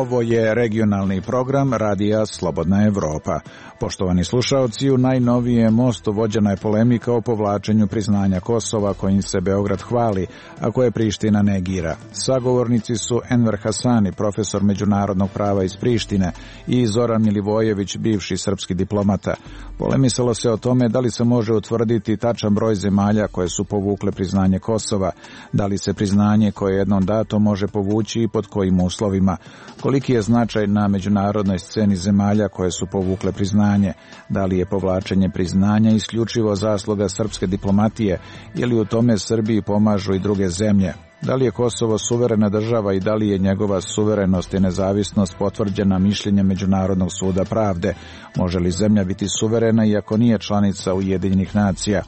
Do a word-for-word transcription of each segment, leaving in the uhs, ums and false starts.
Ovo je regionalni program Radija Slobodna Evropa. Poštovani slušaoci, u najnovijem mostu vođena je polemika o povlačenju priznanja Kosova kojim se Beograd hvali, a koje Priština negira. Sagovornici su Enver Hasani, profesor međunarodnog prava iz Prištine, i Zoran Milivojević, bivši srpski diplomata. Polemisalo se o tome da li se može utvrditi tačan broj zemalja koje su povukle priznanje Kosova, da li se priznanje koje je jednom dato može povući i pod kojim uslovima, koliki je značaj na međunarodnoj sceni zemalja koje su povukle priznanje, da li je povlačenje priznanja isključivo zasluga srpske diplomatije ili u tome Srbiji pomažu i druge zemlje. Da li je Kosovo suverena država i da li je njegova suverenost i nezavisnost potvrđena mišljenjem Međunarodnog suda pravde? Može li zemlja biti suverena iako nije članica Ujedinjenih nacija?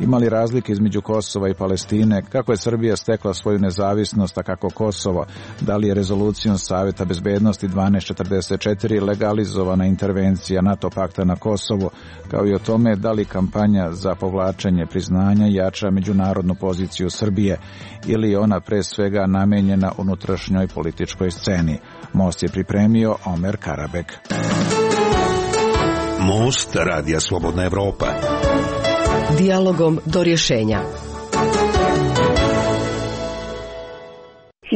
Ima li razlike između Kosova i Palestine? Kako je Srbija stekla svoju nezavisnost, a kako Kosovo? Da li je rezolucijom Saveta bezbednosti dvanaest četrdeset četiri legalizovana intervencija NATO pakta na Kosovu, kao i o tome da li kampanja za povlačenje priznanja jača međunarodnu poziciju Srbije ili je ona pre svega namenjena unutrašnjoj političkoj sceni? Most je pripremio Omer Karabek. Most Radija Slobodna Evropa. Dijalogom do rješenja.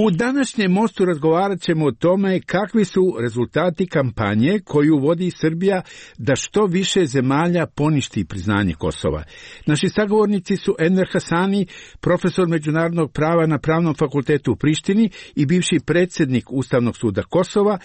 U današnjem mostu razgovarat ćemo o tome kakvi su rezultati kampanje koju vodi Srbija da što više zemalja poništi priznanje Kosova. Naši sagovornici su Enver Hasani, profesor međunarodnog prava na Pravnom fakultetu u Prištini i bivši predsjednik Ustavnog suda Kosova,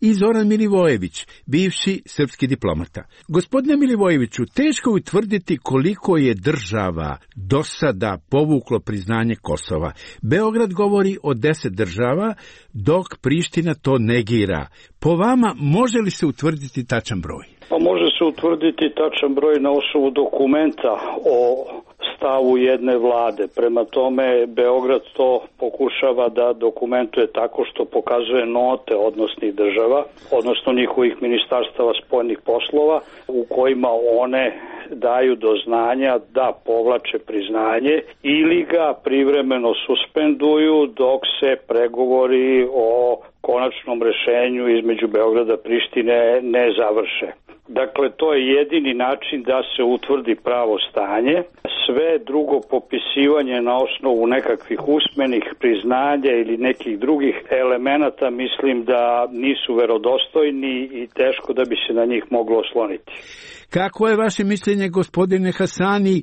i Zoran Milivojević, bivši srpski diplomata. Gospodine Milivojeviću, teško je utvrditi koliko je država do sada povuklo priznanje Kosova. Beograd govori o deset država, dok Priština to negira. Po vama, može li se utvrditi tačan broj? Pa može se utvrditi tačan broj na osnovu dokumenta o stavu jedne vlade. Prema tome, Beograd to pokušava da dokumentuje tako što pokazuje note odnosnih država, odnosno njihovih ministarstava spoljnih poslova, u kojima one daju do znanja da povlače priznanje ili ga privremeno suspenduju dok se pregovori o konačnom rešenju između Beograda i Prištine ne završe. Dakle, to je jedini način da se utvrdi pravo stanje. Sve drugo popisivanje na osnovu nekakvih usmenih priznanja ili nekih drugih elemenata mislim da nisu verodostojni i teško da bi se na njih moglo osloniti. Kako je vaše mišljenje, gospodine Hasani,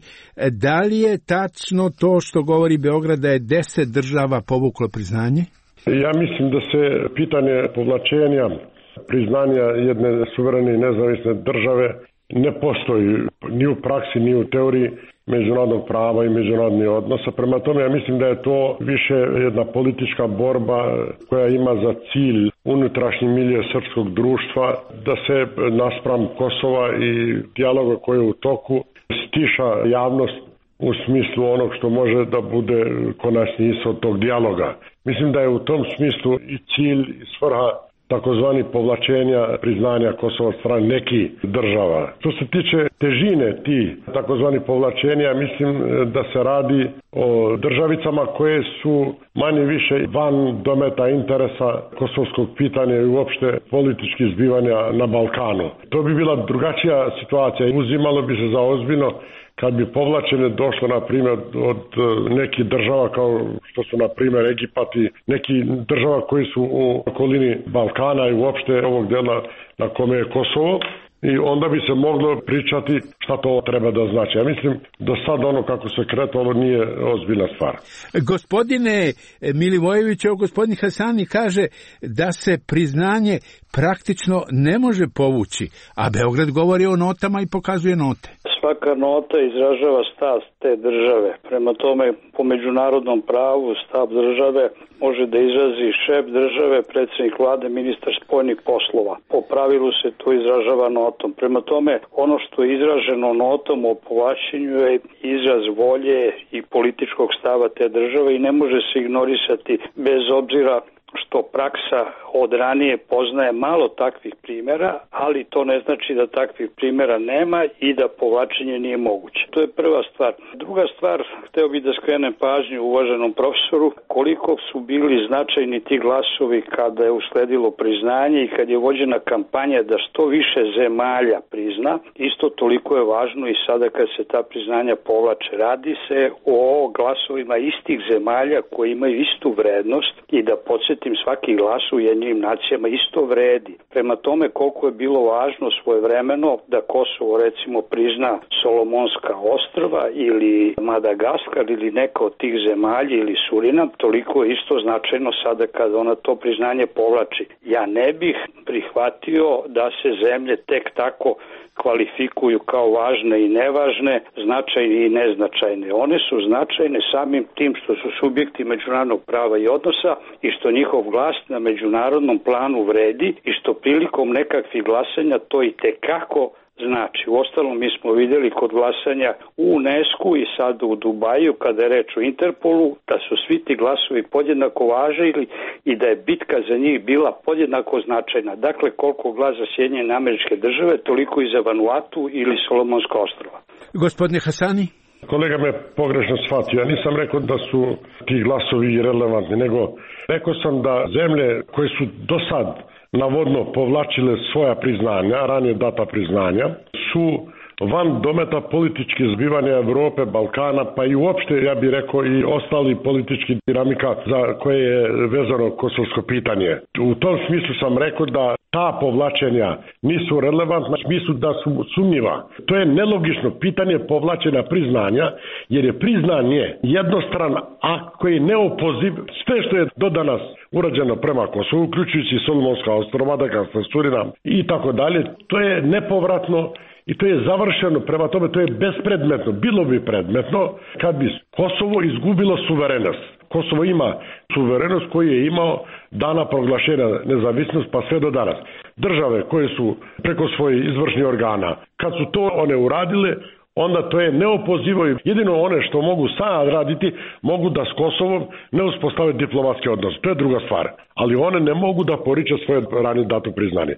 da li je tačno to što govori Beograd da je deset država povuklo priznanje? Ja mislim da se pitanje povlačenja priznanja jedne suverene i nezavisne države ne postoji ni u praksi, ni u teoriji međunarodnog prava i međunarodnih odnosa. Prema tome, ja mislim da je to više jedna politička borba koja ima za cilj unutrašnji milje srpskog društva, da se naspram Kosova i dijaloga koji je u toku stiša javnost u smislu onog što može da bude konačni ishod tog dijaloga. Mislim da je u tom smislu i cilj i svrha takozvani povlačenja priznanja Kosova od strane nekih država. Što se tiče težine ti takozvani povlačenja, mislim da se radi o državicama koje su manje više van dometa interesa kosovskog pitanja i uopšte političkih zbivanja na Balkanu. To bi bila drugačija situacija. Uzimalo bi se za ozbiljno kad bi povlačenje došlo, na primjer, od nekih država kao što su, na primjer, Egipat i neki država koji su u okolini Balkana i uopšte ovog dela na kome je Kosovo, i onda bi se moglo pričati šta to treba da znači. Ja mislim, do sad ono kako se kretalo nije ozbiljna stvar. Gospodine Milivojević, evo gospodin Hasani kaže da se priznanje praktično ne može povući, a Beograd govori o notama i pokazuje note. Svaka nota izražava stav te države. Prema tome, po međunarodnom pravu stav države može da izrazi šef države, predsjednik vlade, ministar spoljnih poslova. Po pravilu se to izražava notom. Prema tome, ono što je izraženo notom o povlačenju je izraz volje i političkog stava te države i ne može se ignorisati bez obzira što praksa od ranije poznaje malo takvih primjera, ali to ne znači da takvih primjera nema i da povlačenje nije moguće. To je prva stvar. Druga stvar, hteo bih da skrenem pažnju uvaženom profesoru koliko su bili značajni ti glasovi kada je usledilo priznanje i kad je vođena kampanja da što više zemalja prizna. Isto toliko je važno i sada kad se ta priznanja povlače. Radi se o glasovima istih zemalja koji imaju istu vrednost i da podsjetim, svaki glas u Ujedinjenim nacijama isto vredi. Prema tome koliko je bilo važno svojevremeno da Kosovo recimo prizna Solomonska ostrva ili Madagaskar ili neka od tih zemalja ili Surinam, toliko je isto značajno sada kada ona to priznanje povlači. Ja ne bih prihvatio da se zemlje tek tako kvalifikuju kao važne i nevažne, značajne i neznačajne. One su značajne samim tim što su subjekti međunarodnog prava i odnosa i što njihov glas na međunarodnom planu vredi i što prilikom nekakvih glasanja to i tekako znači. Uostalom mi smo vidjeli kod glasanja u UNESCO i sad u Dubaju kada je reč o Interpolu da su svi ti glasovi podjednako važili i da je bitka za njih bila podjednako značajna. Dakle, koliko glas za Sjedinjene Američke Države, toliko i za Vanuatu ili Solomonska ostrva. Gospodine Hasani? Kolega me pogrešno shvatio. Ja nisam rekao da su ti glasovi irelevantni, nego rekao sam da zemlje koje su do sad navodno povlačile svoja priznanja, ranije data priznanja, su van dometa političkih zbivanja Evrope, Balkana, pa i uopšte, ja bih rekao, i ostali politički dinamika za koje je vezano kosovsko pitanje. U tom smislu sam rekao da ta povlačenja nisu relevantna, u smislu da su sumnjiva. To je nelogično pitanje povlačenja priznanja, jer je priznanje jednostran akt koji je neopoziv. Sve što je do danas urađeno prema Kosovu, uključujući Solomonska ostrva, Madagaskar, Surinam i tako dalje, to je nepovratno i to je završeno, prema tome to je bespredmetno. Bilo bi predmetno kad bi Kosovo izgubilo suverenost. Kosovo ima suverenost koju je imao dana proglašenja nezavisnost pa sve do danas. Države koje su preko svojih izvršnih organa, kad su to one uradile, onda to je neopozivo i jedino one što mogu sad raditi, mogu da s Kosovom ne uspostave diplomatske odnose. To je druga stvar. Ali one ne mogu da poriče svoje ranije dato priznanje.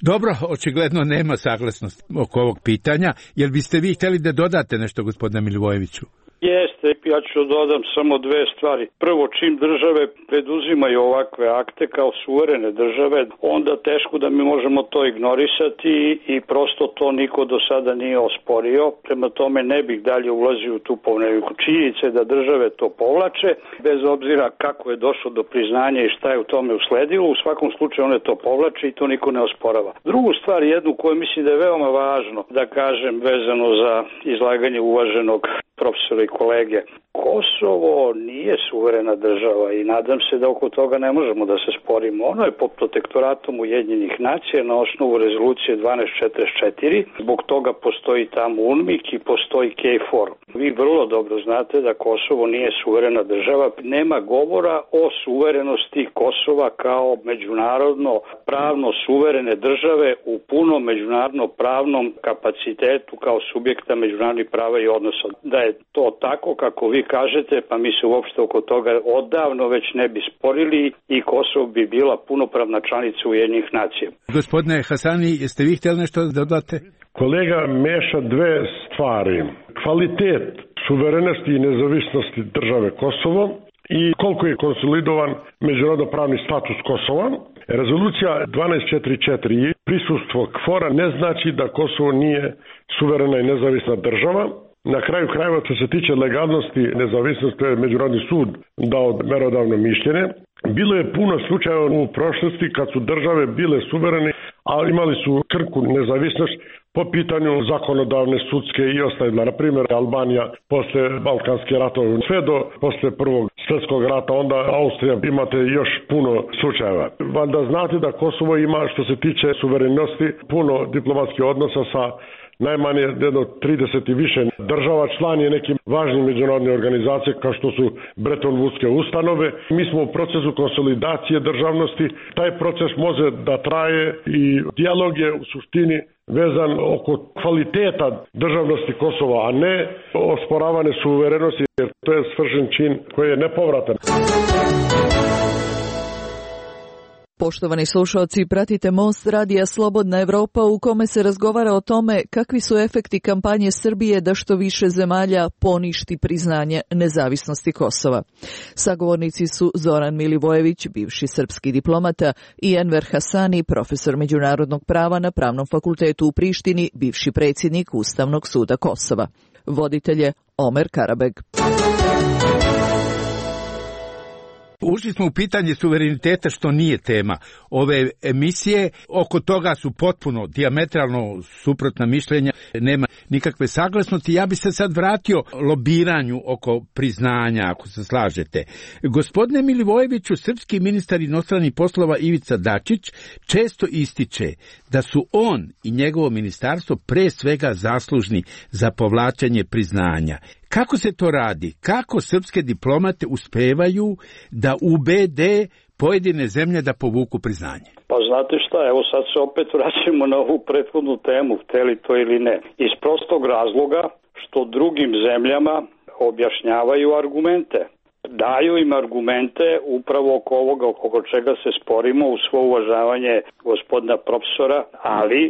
Dobro, očigledno nema saglasnosti oko ovog pitanja. Jel biste vi htjeli da dodate nešto, gospodine Milivojeviću? Jeste, ja ću dodam samo dve stvari. Prvo, čim države preduzimaju ovakve akte kao suverene države, onda teško da mi možemo to ignorisati i prosto to niko do sada nije osporio. Prema tome ne bih dalje ulazio u tu polemiku. Činjenica je da države to povlače, bez obzira kako je došlo do priznanja i šta je u tome usledilo. U svakom slučaju one to povlače i to niko ne osporava. Drugu stvar, jednu koju mislim da je veoma važno da kažem vezano za izlaganje uvaženog profesora i kolege. Kosovo nije suverena država i nadam se da oko toga ne možemo da se sporimo. Ono je pod protektoratom Ujedinjenih nacija na osnovu rezolucije dvanaest četrdeset četiri. Zbog toga postoji tamo UNMIK i postoji KFOR. Vi vrlo dobro znate da Kosovo nije suverena država. Nema govora o suverenosti Kosova kao međunarodno pravno suverene države u punom međunarodno pravnom kapacitetu kao subjekta međunarodnih prava i odnosa. Da je to tako kako vi kažete, pa mi se uopšte oko toga odavno već ne bi sporili i Kosovo bi bila punopravna članica Ujedinjenih nacija. Gospodine Hasani, jeste vi htjeli nešto da dodate? Kolega meša dve stvari. Kvalitet suverenosti i nezavisnosti države Kosovo i koliko je konsolidovan međunarodno pravni status Kosova. Rezolucija dvanaest četrdeset četiri prisustvo KFOR-a ne znači da Kosovo nije suverena i nezavisna država. Na kraju krajeva, što se tiče legalnosti, nezavisnosti, je Međunarodni sud dao merodavno mišljenje. Bilo je puno slučajeva u prošlosti kad su države bile suverene, a imali su krku nezavisnost po pitanju zakonodavne, sudske i ostale. Na primjer, Albanija posle Balkanske ratove, sve do posle Prvog svjetskog rata, onda Austrija, imate još puno slučajeva. Valjda znate da Kosovo ima, što se tiče suverenosti, puno diplomatskih odnosa sa najmanje jedno trideset i više država, član je nekim važnim međunarodnim organizacije kao što su Bretton Woodske ustanove. Mi smo u procesu konsolidacije državnosti. Taj proces može da traje i dijalog je u suštini vezan oko kvaliteta državnosti Kosova, a ne osporavane suverenosti, jer to je svršen čin koji je nepovratan. Poštovani slušalci, pratite Most radija Slobodna Evropa u kome se razgovara o tome kakvi su efekti kampanje Srbije da što više zemalja poništi priznanje nezavisnosti Kosova. Sagovornici su Zoran Milivojević, bivši srpski diplomata, i Enver Hasani, profesor međunarodnog prava na Pravnom fakultetu u Prištini, bivši predsjednik Ustavnog suda Kosova. Voditelj je Omer Karabeg. Ušli smo u pitanje suvereniteta, što nije tema ove emisije. Oko toga su potpuno dijametralno suprotna mišljenja, nema nikakve saglasnosti. Ja bi se sad vratio lobiranju oko priznanja, ako se slažete. Gospodine Milivojeviću, srpski ministar inostranih poslova Ivica Dačić često ističe da su on i njegovo ministarstvo pre svega zaslužni za povlačenje priznanja. Kako se to radi? Kako srpske diplomate uspevaju da ubede pojedine zemlje da povuku priznanje? Pa znate šta, evo sad se opet vraćamo na ovu prethodnu temu, hteli to ili ne. Iz prostog razloga što drugim zemljama objašnjavaju argumente. Daju im argumente upravo oko ovoga oko čega se sporimo, u svo uvažavanje gospodina profesora, ali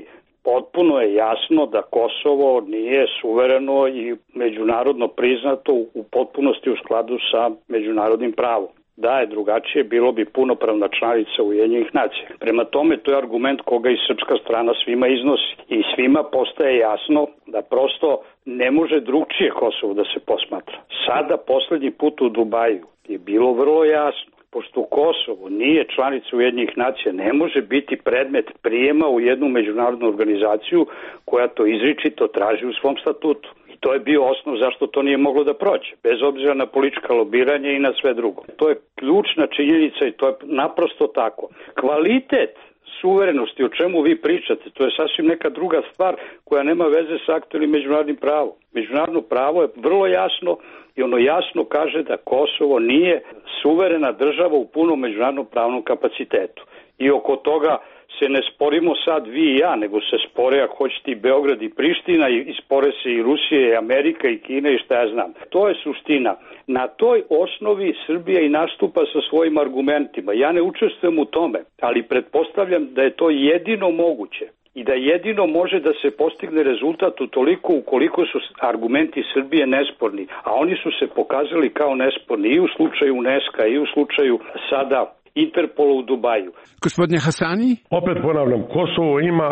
potpuno je jasno da Kosovo nije suvereno i međunarodno priznato u potpunosti u skladu sa međunarodnim pravom. Da je drugačije, bilo bi punopravna članica Ujedinjenih nacija. Prema tome, to je argument koga i srpska strana svima iznosi. I svima postaje jasno da prosto ne može drugčije Kosovo da se posmatra. Sada, poslednji put u Dubaju, je bilo vrlo jasno. Pošto Kosovo nije članica Ujedinjenih nacija, ne može biti predmet prijema u jednu međunarodnu organizaciju koja to izričito traži u svom statutu. I to je bio osnov zašto to nije moglo da prođe, bez obzira na politička lobiranja i na sve drugo. To je ključna činjenica i to je naprosto tako. Kvalitet suverenosti, o čemu vi pričate, to je sasvim neka druga stvar koja nema veze sa aktualnim međunarodnim pravom. Međunarodno pravo je vrlo jasno i ono jasno kaže da Kosovo nije suverena država u punom međunarodnom pravnom kapacitetu. I oko toga se ne sporimo sad vi i ja, nego se spore, ako hoćete, i Beograd i Priština, i spore se i Rusija i Amerika i Kina i šta ja znam. To je suština. Na toj osnovi Srbija i nastupa sa svojim argumentima. Ja ne učestvujem u tome, ali pretpostavljam da je to jedino moguće i da jedino može da se postigne rezultat utoliko ukoliko su argumenti Srbije nesporni, a oni su se pokazali kao nesporni i u slučaju UNESCO i u slučaju sada Interpola u Dubaju. Gospodine Hasani? Opet ponavljam, Kosovo ima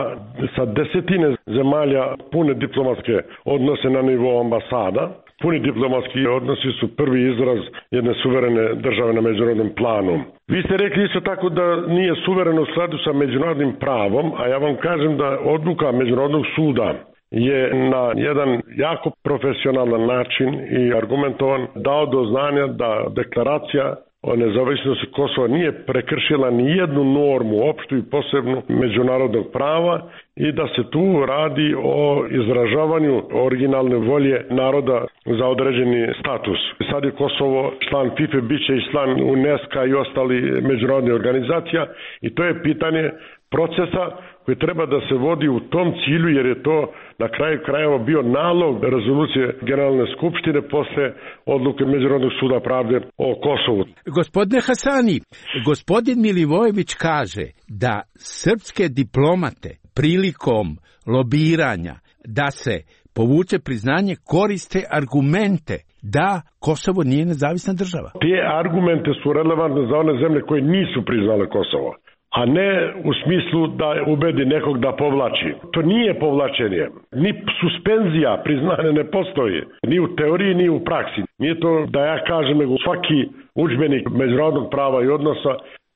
sa desetine zemalja pune diplomatske odnose na nivou ambasada. Puni diplomatski odnosi su prvi izraz jedne suverene države na međunarodnom planu. Vi ste rekli isto tako da nije suvereno u skladu sa međunarodnim pravom, a ja vam kažem da odluka Međunarodnog suda je na jedan jako profesionalan način i argumentovan dao do znanja da deklaracija o nezavisnosti Kosova nije prekršila ni jednu normu, opštu i posebnu međunarodnog prava i da se tu radi o izražavanju originalne volje naroda za određeni status. Sad je Kosovo član FIFA, bit će i član UNESCO i ostali međunarodnih organizacija i to je pitanje procesa koji treba da se vodi u tom cilju, jer je to na kraju krajeva bio nalog rezolucije Generalne skupštine posle odluke Međunarodnog suda pravde o Kosovu. Gospodine Hasani, gospodin Milivojević kaže da srpske diplomate prilikom lobiranja da se povuče priznanje koriste argumente da Kosovo nije nezavisna država. Te argumente su relevantne za one zemlje koje nisu priznale Kosovo, a ne u smislu da ubedi nekog da povlači. To nije povlačenje. Ni suspenzija priznanja ne postoji. Ni u teoriji, ni u praksi. Nije to da ja kažem, nego svaki udžbenik međunarodnog prava i odnosa.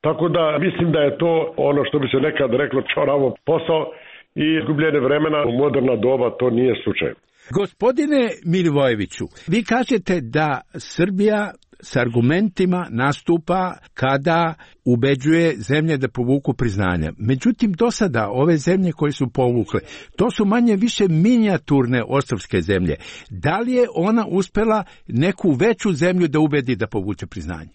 Tako da mislim da je to ono što bi se nekad reklo čoravo posao i izgubljene vremena u moderna doba, to nije slučaj. Gospodine Milivojeviću, vi kažete da Srbija s argumentima nastupa kada ubeđuje zemlje da povuku priznanja. Međutim, do sada ove zemlje koje su povukle, to su manje više minijaturne ostrvske zemlje. Da li je ona uspela neku veću zemlju da ubedi da povuče priznanje?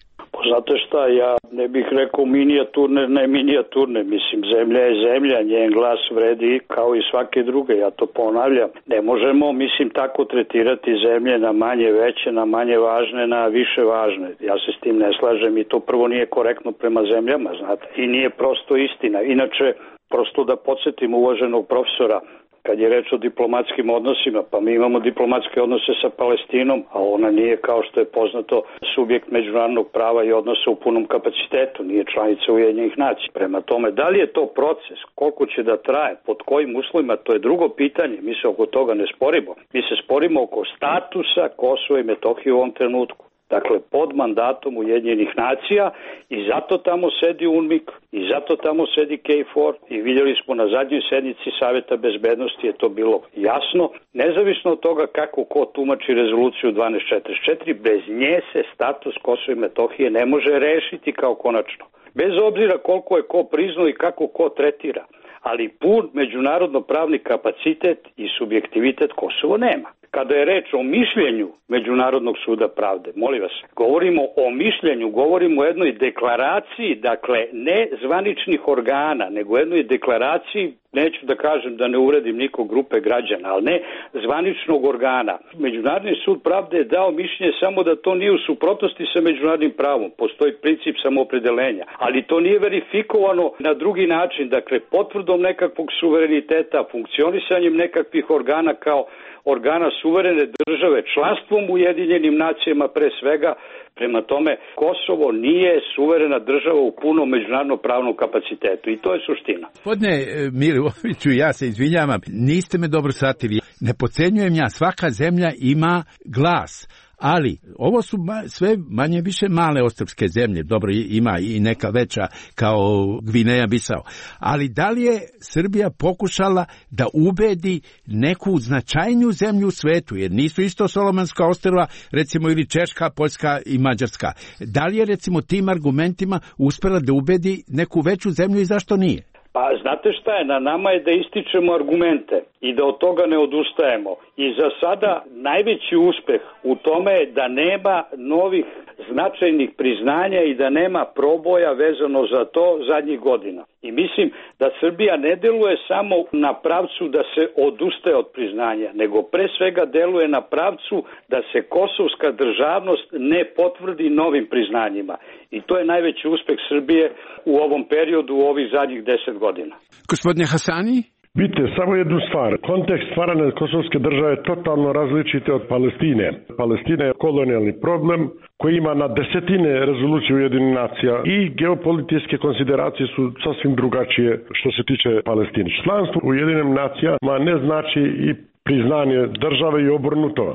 Znate šta, ja ne bih rekao minijaturne, ne minijaturne, mislim, zemlja je zemlja, njen glas vredi kao i svake druge, ja to ponavljam. Ne možemo, mislim, tako tretirati zemlje na manje veće, na manje važne, na više važne. Ja se s tim ne slažem i to prvo nije korektno prema zemljama, znate, i nije prosto istina. Inače, prosto da podsjetim uvaženog profesora, kad je reč o diplomatskim odnosima, pa mi imamo diplomatske odnose sa Palestinom, a ona nije, kao što je poznato, subjekt međunarodnog prava i odnosa u punom kapacitetu, nije članica Ujedinjenih nacija. Prema tome, da li je to proces, koliko će da traje, pod kojim uslovima, to je drugo pitanje, mi se oko toga ne sporimo. Mi se sporimo oko statusa Kosova i Metohije u ovom trenutku. Dakle, pod mandatom Ujedinjenih nacija i zato tamo sedi UNMIK i zato tamo sedi K four i vidjeli smo na zadnjoj sednici Saveta bezbednosti je to bilo jasno. Nezavisno od toga kako ko tumači rezoluciju dvanaest četrdeset četiri, bez nje se status Kosova i Metohije ne može rešiti kao konačno. Bez obzira koliko je ko priznao i kako ko tretira, ali pun međunarodno pravni kapacitet i subjektivitet Kosovo nema. Kada je reč o mišljenju Međunarodnog suda pravde, molim vas, govorimo o mišljenju, govorimo o jednoj deklaraciji, dakle ne zvaničnih organa, nego jednoj deklaraciji, neću da kažem da ne uvredim nikog grupe građana, ali ne zvaničnog organa. Međunarodni sud pravde je dao mišljenje samo da to nije u suprotnosti sa međunarodnim pravom, postoji princip samoopredeljenja, ali to nije verifikovano na drugi način, dakle potvrdom nekakvog suvereniteta, funkcionisanjem nekakvih organa kao organa suverene države, članstvom u Ujedinjenim nacijama pre svega. Prema tome, Kosovo nije suverena država u punom međunarodno pravnom kapacitetu i to je suština. Gospodine Milivojeviću, ja se izvinjavam, niste me dobro shvatili. Ne podcenjujem ja, svaka zemlja ima glas. Ali ovo su sve manje više male ostrvske zemlje, dobro ima i neka veća kao Gvineja Bisao, ali da li je Srbija pokušala da ubedi neku značajniju zemlju u svetu, jer nisu isto Solomonska ostrva, recimo ili Češka, Poljska i Mađarska. Da li je recimo tim argumentima uspela da ubedi neku veću zemlju i zašto nije? Pa znate šta je, na nama je da ističemo argumente i da od toga ne odustajemo. I za sada najveći uspeh u tome je da nema novih značajnih priznanja i da nema proboja vezano za to zadnjih godina. I mislim da Srbija ne deluje samo na pravcu da se odustaje od priznanja, nego pre svega deluje na pravcu da se kosovska državnost ne potvrdi novim priznanjima. I to je najveći uspeh Srbije u ovom periodu, u ovih zadnjih deset godina. Gospodine Hasani? Vidite, samo jednu stvar. Kontekst stvaranja kosovske države je totalno različite od Palestine. Palestina je kolonijalni problem koji ima na desetine rezolucije Ujedinjenih nacija i geopolitičke konsideracije su sasvim drugačije što se tiče Palestine. Članstvo u Ujedinjenim nacijama ne znači i priznanje države i obrnuto.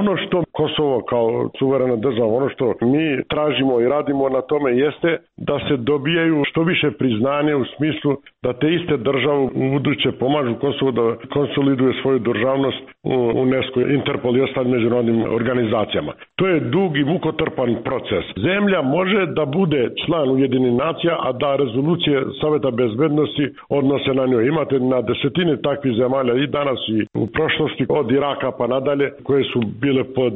Ono što Kosovo kao suverena država, ono što mi tražimo i radimo na tome jeste da se dobijaju što više priznanje u smislu da te iste države u buduće pomažu Kosovo da konsoliduje svoju državnost u UNESCO, Interpol i ostalim međunarodnim organizacijama. To je dug i mukotrpan proces. Zemlja može da bude član Ujedinjenih nacija, a da rezolucije Saveta bezbednosti odnose na njoj. Imate na desetine takvih zemalja i danas i u prošlosti od Iraka pa nadalje koje su bile pod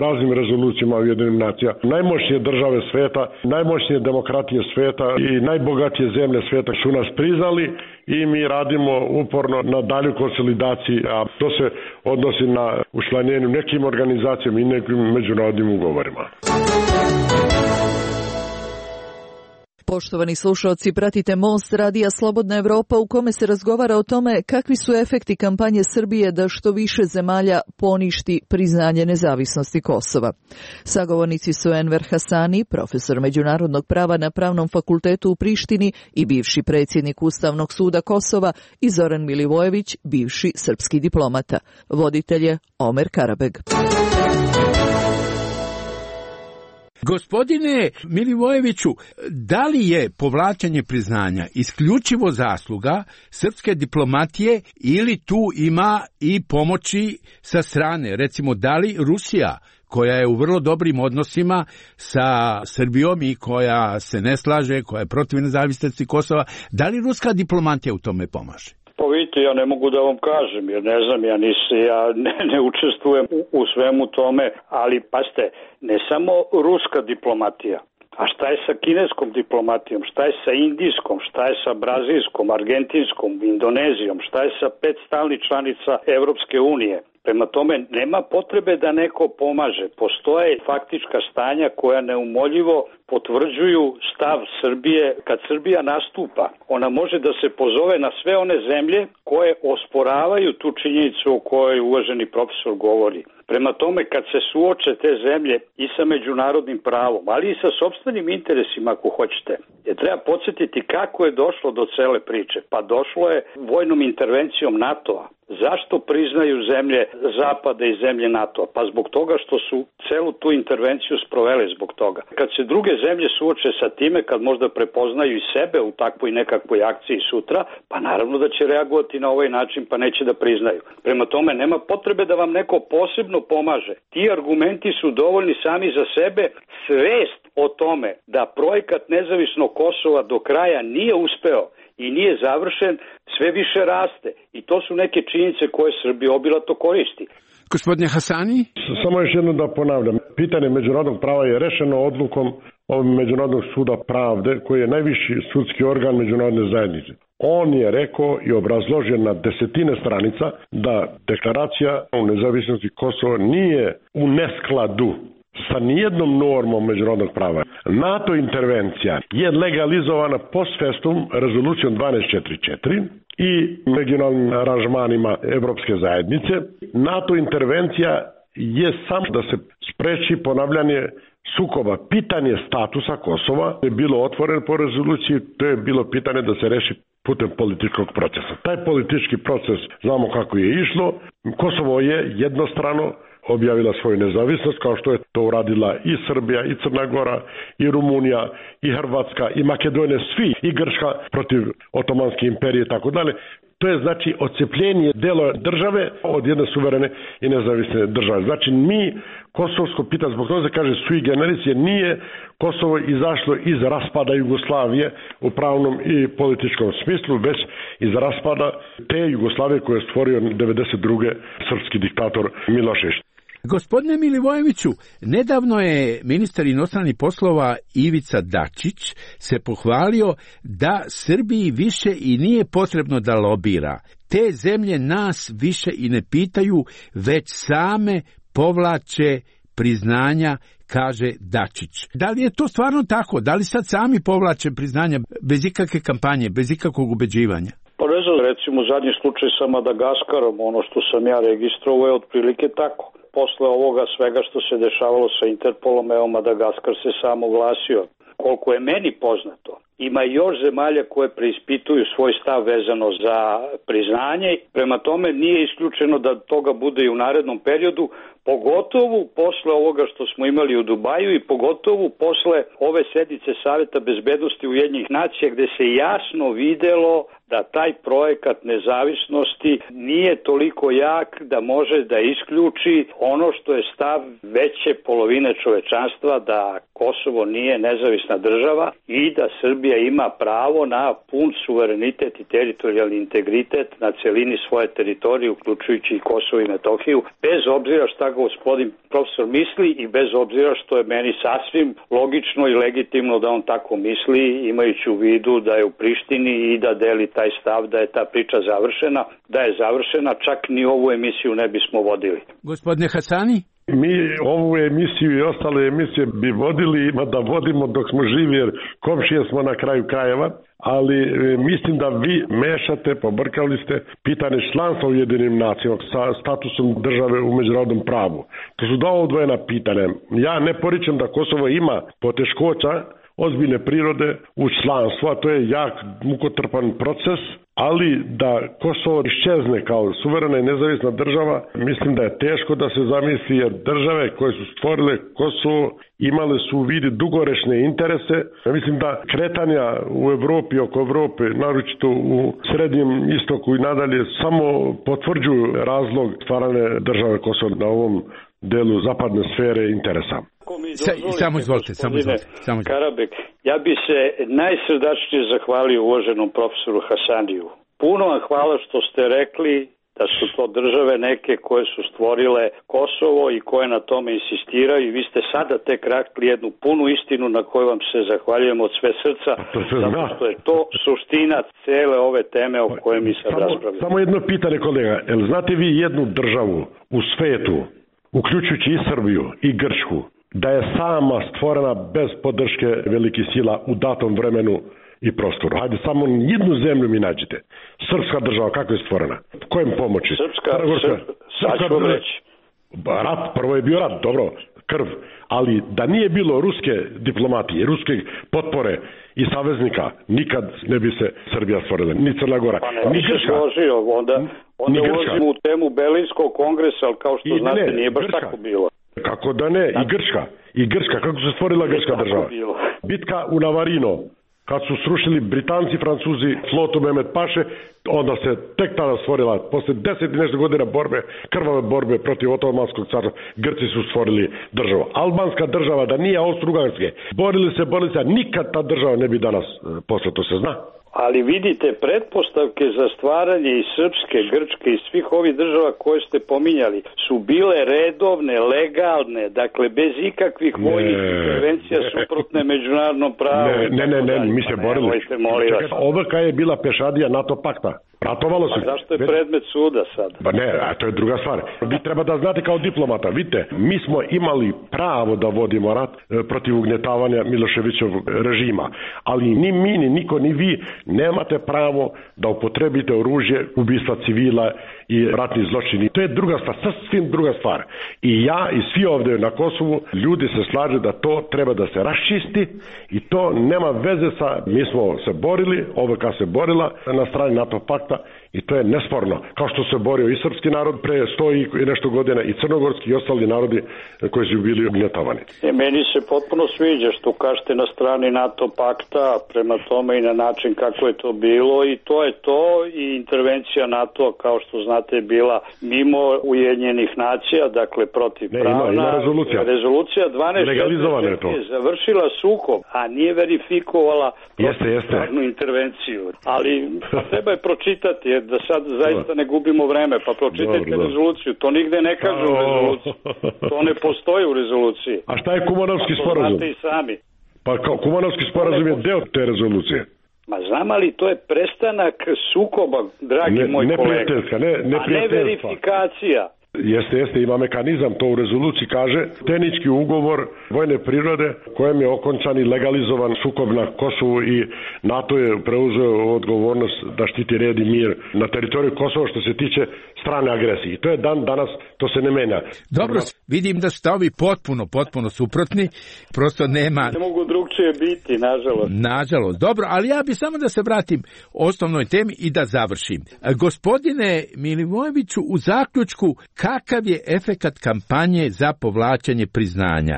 raznim rezolucijama Ujedinjenih nacija. Najmoćnije države sveta, najmoćnije demokratije sveta i najbogatije zemlje sveta su nas priznali i mi radimo uporno na dalju konsolidaciji, a to se odnosi na učlanjenju nekim organizacijama i nekim međunarodnim ugovorima. Poštovani slušalci, pratite Most radija Slobodna Evropa u kome se razgovara o tome kakvi su efekti kampanje Srbije da što više zemalja poništi priznanje nezavisnosti Kosova. Sagovornici su Enver Hasani, profesor međunarodnog prava na Pravnom fakultetu u Prištini i bivši predsjednik Ustavnog suda Kosova, i Zoran Milivojević, bivši srpski diplomata. Voditelj je Omer Karabeg. Gospodine Milivojeviću, da li je povlačenje priznanja isključivo zasluga srpske diplomatije ili tu ima i pomoći sa strane? Recimo, da li Rusija, koja je u vrlo dobrim odnosima sa Srbijom i koja se ne slaže, koja je protiv nezavisnosti Kosova, da li ruska diplomatija u tome pomaže? Pa vidite, ja ne mogu da vam kažem, jer ne znam, ja, nis, ja ne, ne učestvujem u, u svemu tome, ali paste, ne samo ruska diplomatija, A šta je sa kineskom diplomatijom, šta je sa indijskom, šta je sa brazilskom, argentinskom, indonezijom, šta je sa pet stalnih članica Evropske unije? Prema tome, nema potrebe da neko pomaže. Postoje faktička stanja koja neumoljivo potvrđuju stav Srbije. Kad Srbija nastupa, ona može da se pozove na sve one zemlje koje osporavaju tu činjenicu o kojoj uvaženi profesor govori. Prema tome, kad se suoče te zemlje i sa međunarodnim pravom, ali i sa sopstvenim interesima, ako hoćete, je treba podsjetiti kako je došlo do cele priče. Pa došlo je vojnom intervencijom NATO-a. Zašto priznaju zemlje Zapada i zemlje NATO-a? Pa zbog toga što su celu tu intervenciju sprovele zbog toga. Kad se druge zemlje suoče sa time, kad možda prepoznaju i sebe u takvoj nekakvoj akciji sutra, pa naravno da će reagovati na ovaj način, pa neće da priznaju. Prema tome, nema potrebe da vam neko posebno pomaže. Ti argumenti su dovoljni sami za sebe. Svest o tome da projekat nezavisnog Kosova do kraja nije uspeo i nije završen, sve više raste. I to su neke činjenice koje Srbija obilato koristi. Gospodine Hasani? Samo još jedno da ponavljam. Pitanje međunarodnog prava je rešeno odlukom Međunarodnog suda pravde, koji je najviši sudski organ međunarodne zajednice. On je rekao i obrazložio na desetine stranica da deklaracija o nezavisnosti Kosova nije u neskladu sa nijednom normom međunarodnog prava. NATO intervencija je legalizovana post festum rezolucijom dvanaest četrdeset četiri i regionalnim aranžmanima Evropske zajednice. NATO intervencija je samo da se spreči ponavljanje sukoba. Pitanje statusa Kosova je bilo otvoreno po rezoluciji, to je bilo pitanje da se reši putem političkog procesa. Taj politički proces znamo kako je išlo. Kosovo je jednostrano objavila svoju nezavisnost, kao što je to uradila i Srbija, i Crna Gora, i Rumunija, i Hrvatska, i Makedonija, svi, i Grčka protiv Otomanske imperije i tako dalje. To je znači odcepljenje dela države od jedne suverene i nezavisne države. Znači mi kosovsko pitanje, zbog toga se kaže sui generis, jer nije Kosovo izašlo iz raspada Jugoslavije u pravnom i političkom smislu, već iz raspada te Jugoslavije koje je stvorio devedeset druge srpski diktator Milošević. Gospodine Milivojeviću, nedavno je ministar inostranih poslova Ivica Dačić se pohvalio da Srbiji više i nije potrebno da lobira. Te zemlje nas više i ne pitaju, već same povlače priznanja, kaže Dačić. Da li je to stvarno tako? Da li sad sami povlače priznanja bez ikakve kampanje, bez ikakvog ubeđivanja? Pa ne znam, recimo zadnji slučaj sa Madagaskarom, ono što sam ja registrovao je otprilike tako. Posle ovoga svega što se dešavalo sa Interpolom, evo Madagaskar se samo oglasio. Koliko je meni poznato, ima još zemalja koje preispituju svoj stav vezano za priznanje. Prema tome nije isključeno da toga bude i u narednom periodu, pogotovo posle ovoga što smo imali u Dubaju i pogotovo posle ove sednice Saveta bezbednosti Ujedinjenih nacija, gde se jasno videlo da taj projekat nezavisnosti nije toliko jak da može da isključi ono što je stav veće polovine čovečanstva, da Kosovo nije nezavisna država i da Srbija ima pravo na pun suverenitet i teritorijalni integritet na celini svoje teritorije, uključujući i Kosovo i Metohiju, bez obzira šta gospodin profesor misli i bez obzira što je meni sasvim logično i legitimno da on tako misli, imajući u vidu da je u Prištini i da deli taj stav da je ta priča završena, da je završena, čak ni ovu emisiju ne bismo vodili. Gospodine Hasani? Mi ovu emisiju i ostale emisije bi vodili, ima da vodimo dok smo živi, jer komšije smo na kraju krajeva, ali mislim da vi mešate, pobrkali ste pitanje članstva u Ujedinjenim nacijama sa statusom države u međunarodnom pravu. To su dva odvojena pitanja. Ja ne poričem da Kosovo ima poteškoća ozbiljne prirode u članstvu, a to je jak, mukotrpan proces, ali da Kosovo iščezne kao suverena i nezavisna država, mislim da je teško da se zamisli, jer države koje su stvorile Kosovo imale su u vidi dugorečne interese. Ja mislim da kretanja u Evropi, oko Evrope, naročito u Srednjem istoku i nadalje, samo potvrđuju razlog stvarane države Kosovo na ovom delu zapadne sfere interesa. Sa, samo izvolite, samo izvolite. Samo izvolite. Karabek, ja bi se najsrdačnije zahvalio uvaženom profesoru Hasaniju. Puno vam hvala što ste rekli da su to države neke koje su stvorile Kosovo i koje na tome insistiraju i vi ste sada tek rekli jednu punu istinu na koju vam se zahvaljujemo od sve srca, zato što je to suština cele ove teme o kojoj mi sad raspravljamo. Samo jedno pitanje, kolega, jel znate vi jednu državu u svetu, uključujući i Srbiju i Grčku, da je sama stvorena bez podrške velikih sila u datom vremenu i prostoru? Hajde, samo jednu zemlju mi nađite. Srpska država, kako je stvorena? Kojem pomoći? Srpska, Srpska, sad ću vam reći. Rat, prvo je bio rat, dobro, krv, ali da nije bilo ruske diplomatije, ruske potpore i saveznika, nikad ne bi se Srbija stvorila, ni Crna Gora, pa ne, ni Grčka. Složio, onda onda ulazimo u temu Berlinskog kongresa, ali kao što I, znate, ne, nije baš Grčka. Tako bilo. Kako da ne, i Grčka, i Grčka, kako se stvorila Grčka država? Bilo. Bitka u Navarino, kad su srušili Britanci, Francuzi, flotu Mehmed Paše, onda se tek tada stvorila, posle deset i nešto godina borbe, krvave borbe protiv Otomanskog carstva, Grci su stvorili državu. Albanska država, da nije Austro-Ugarske, borili se, borili se, nikad ta država ne bi danas, posle to se zna. Ali vidite, pretpostavke za stvaranje i Srpske, Grčke i svih ovih država koje ste pominjali su bile redovne, legalne, dakle bez ikakvih ne, vojnih intervencija ne, suprotne međunarodnom pravu. Ne, ne, ne, ne, mi se borili. Ovaka je bila pešadija NATO pakta. Ratovalo se. Pa zašto je predmet suda sad? Pa ne, a to je druga stvar. Vi treba da znate kao diplomata, vidite, mi smo imali pravo da vodimo rat protiv ugnjetavanja Miloševićevog režima, ali ni mi, ni niko, ni vi nemate pravo da upotrebite oružje, ubistva civila i ratni zločini. To je druga stvar, sasvim druga stvar. I ja i svi ovdje na Kosovu, ljudi se slažu da to treba da se raščisti i to nema veze sa, mi smo se borili, O V K se borila na strani NATO pakta i to je nesporno. Kao što se borio i srpski narod pre sto i nešto godina i crnogorski i ostali narodi koji su bili ugnjetavani. E, meni se potpuno sviđa što kažete na strani NATO pakta, prema tome i na način kako je to bilo i to je to i intervencija NATO, kao što znate, je bila mimo Ujedinjenih nacija, dakle protiv pravna. Ne, ima, ima rezolucija. Rezolucija dvanaest je završila sukob, a nije verifikovala protivpravnu intervenciju. Ali treba je pročitati, jer da sad zaista ne gubimo vreme, pa pročitajte dobro, rezoluciju. To nigde ne kaže u rezoluciji. To ne postoji u rezoluciji. A šta je Kumanovski sporazum? Znate i sami. Pa Kumanovski sporazum je deo te rezolucije. Ma znam, ali to je prestanak sukoba, dragi ne, moj kolega. Ne, ne a ne verifikacija. Jeste, jeste, ima mekanizam, to u rezoluciji kaže, tehnički ugovor vojne prirode kojem je okončan i legalizovan sukob na Kosovu i NATO je preuzeo odgovornost da štiti red i mir na teritoriju Kosova što se tiče strane agresije. I to je dan danas, to se ne menja. Dobro, vidim da ste ovi potpuno, potpuno suprotni, prosto nema... Ne mogu drugčije biti, nažalost. Nažalost, dobro, ali ja bi samo da se vratim osnovnoj temi i da završim. Gospodine Milivojeviću, u zaključku, kakav je efekat kampanje za povlačenje priznanja?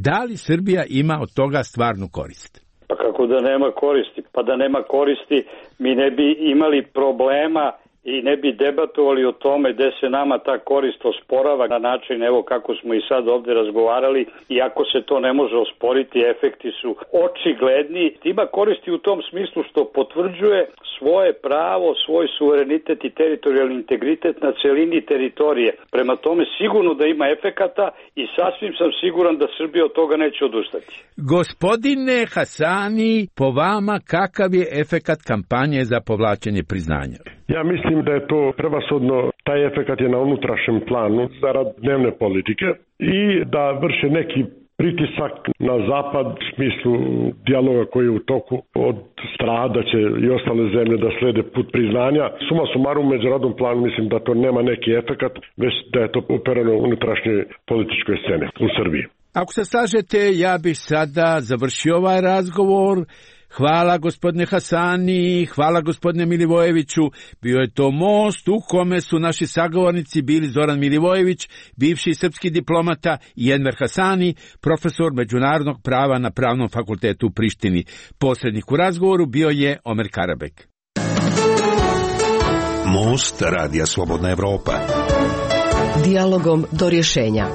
Da li Srbija ima od toga stvarnu korist? Pa kako da nema koristi? Pa da nema koristi, mi ne bi imali problema i ne bi debatovali o tome gde se nama ta korist osporava na način evo kako smo i sad ovdje razgovarali, iako se to ne može osporiti, efekti su očigledni. Ima koristi u tom smislu što potvrđuje svoje pravo, svoj suverenitet i teritorijalni integritet na celini teritorije. Prema tome sigurno da ima efekata i sasvim sam siguran da Srbija od toga neće odustati. Gospodine Hasani, po vama kakav je efekat kampanje za povlačenje priznanja? Ja mislim da je to prevashodno, taj efekat je na unutrašnjem planu zarad dnevne politike i da vrše neki pritisak na zapad u smislu dijaloga koji je u toku od straha da će i ostale zemlje da slede put priznanja. Suma sumarum u međunarodnom planu mislim da to nema neki efekat, već da je to upereno u unutrašnjoj političkoj sceni u Srbiji. Ako se slažete, ja bih sada završio ovaj razgovor. Hvala gospodine Hasani, hvala gospodine Milivojeviću. Bio je to most u kome su naši sagovornici bili Zoran Milivojević, bivši srpski diplomata, i Enver Hasani, profesor međunarodnog prava na Pravnom fakultetu u Prištini. Posrednik u razgovoru bio je Omer Karabek. Most Radija Slobodna Evropa. Dijalogom do rješenja.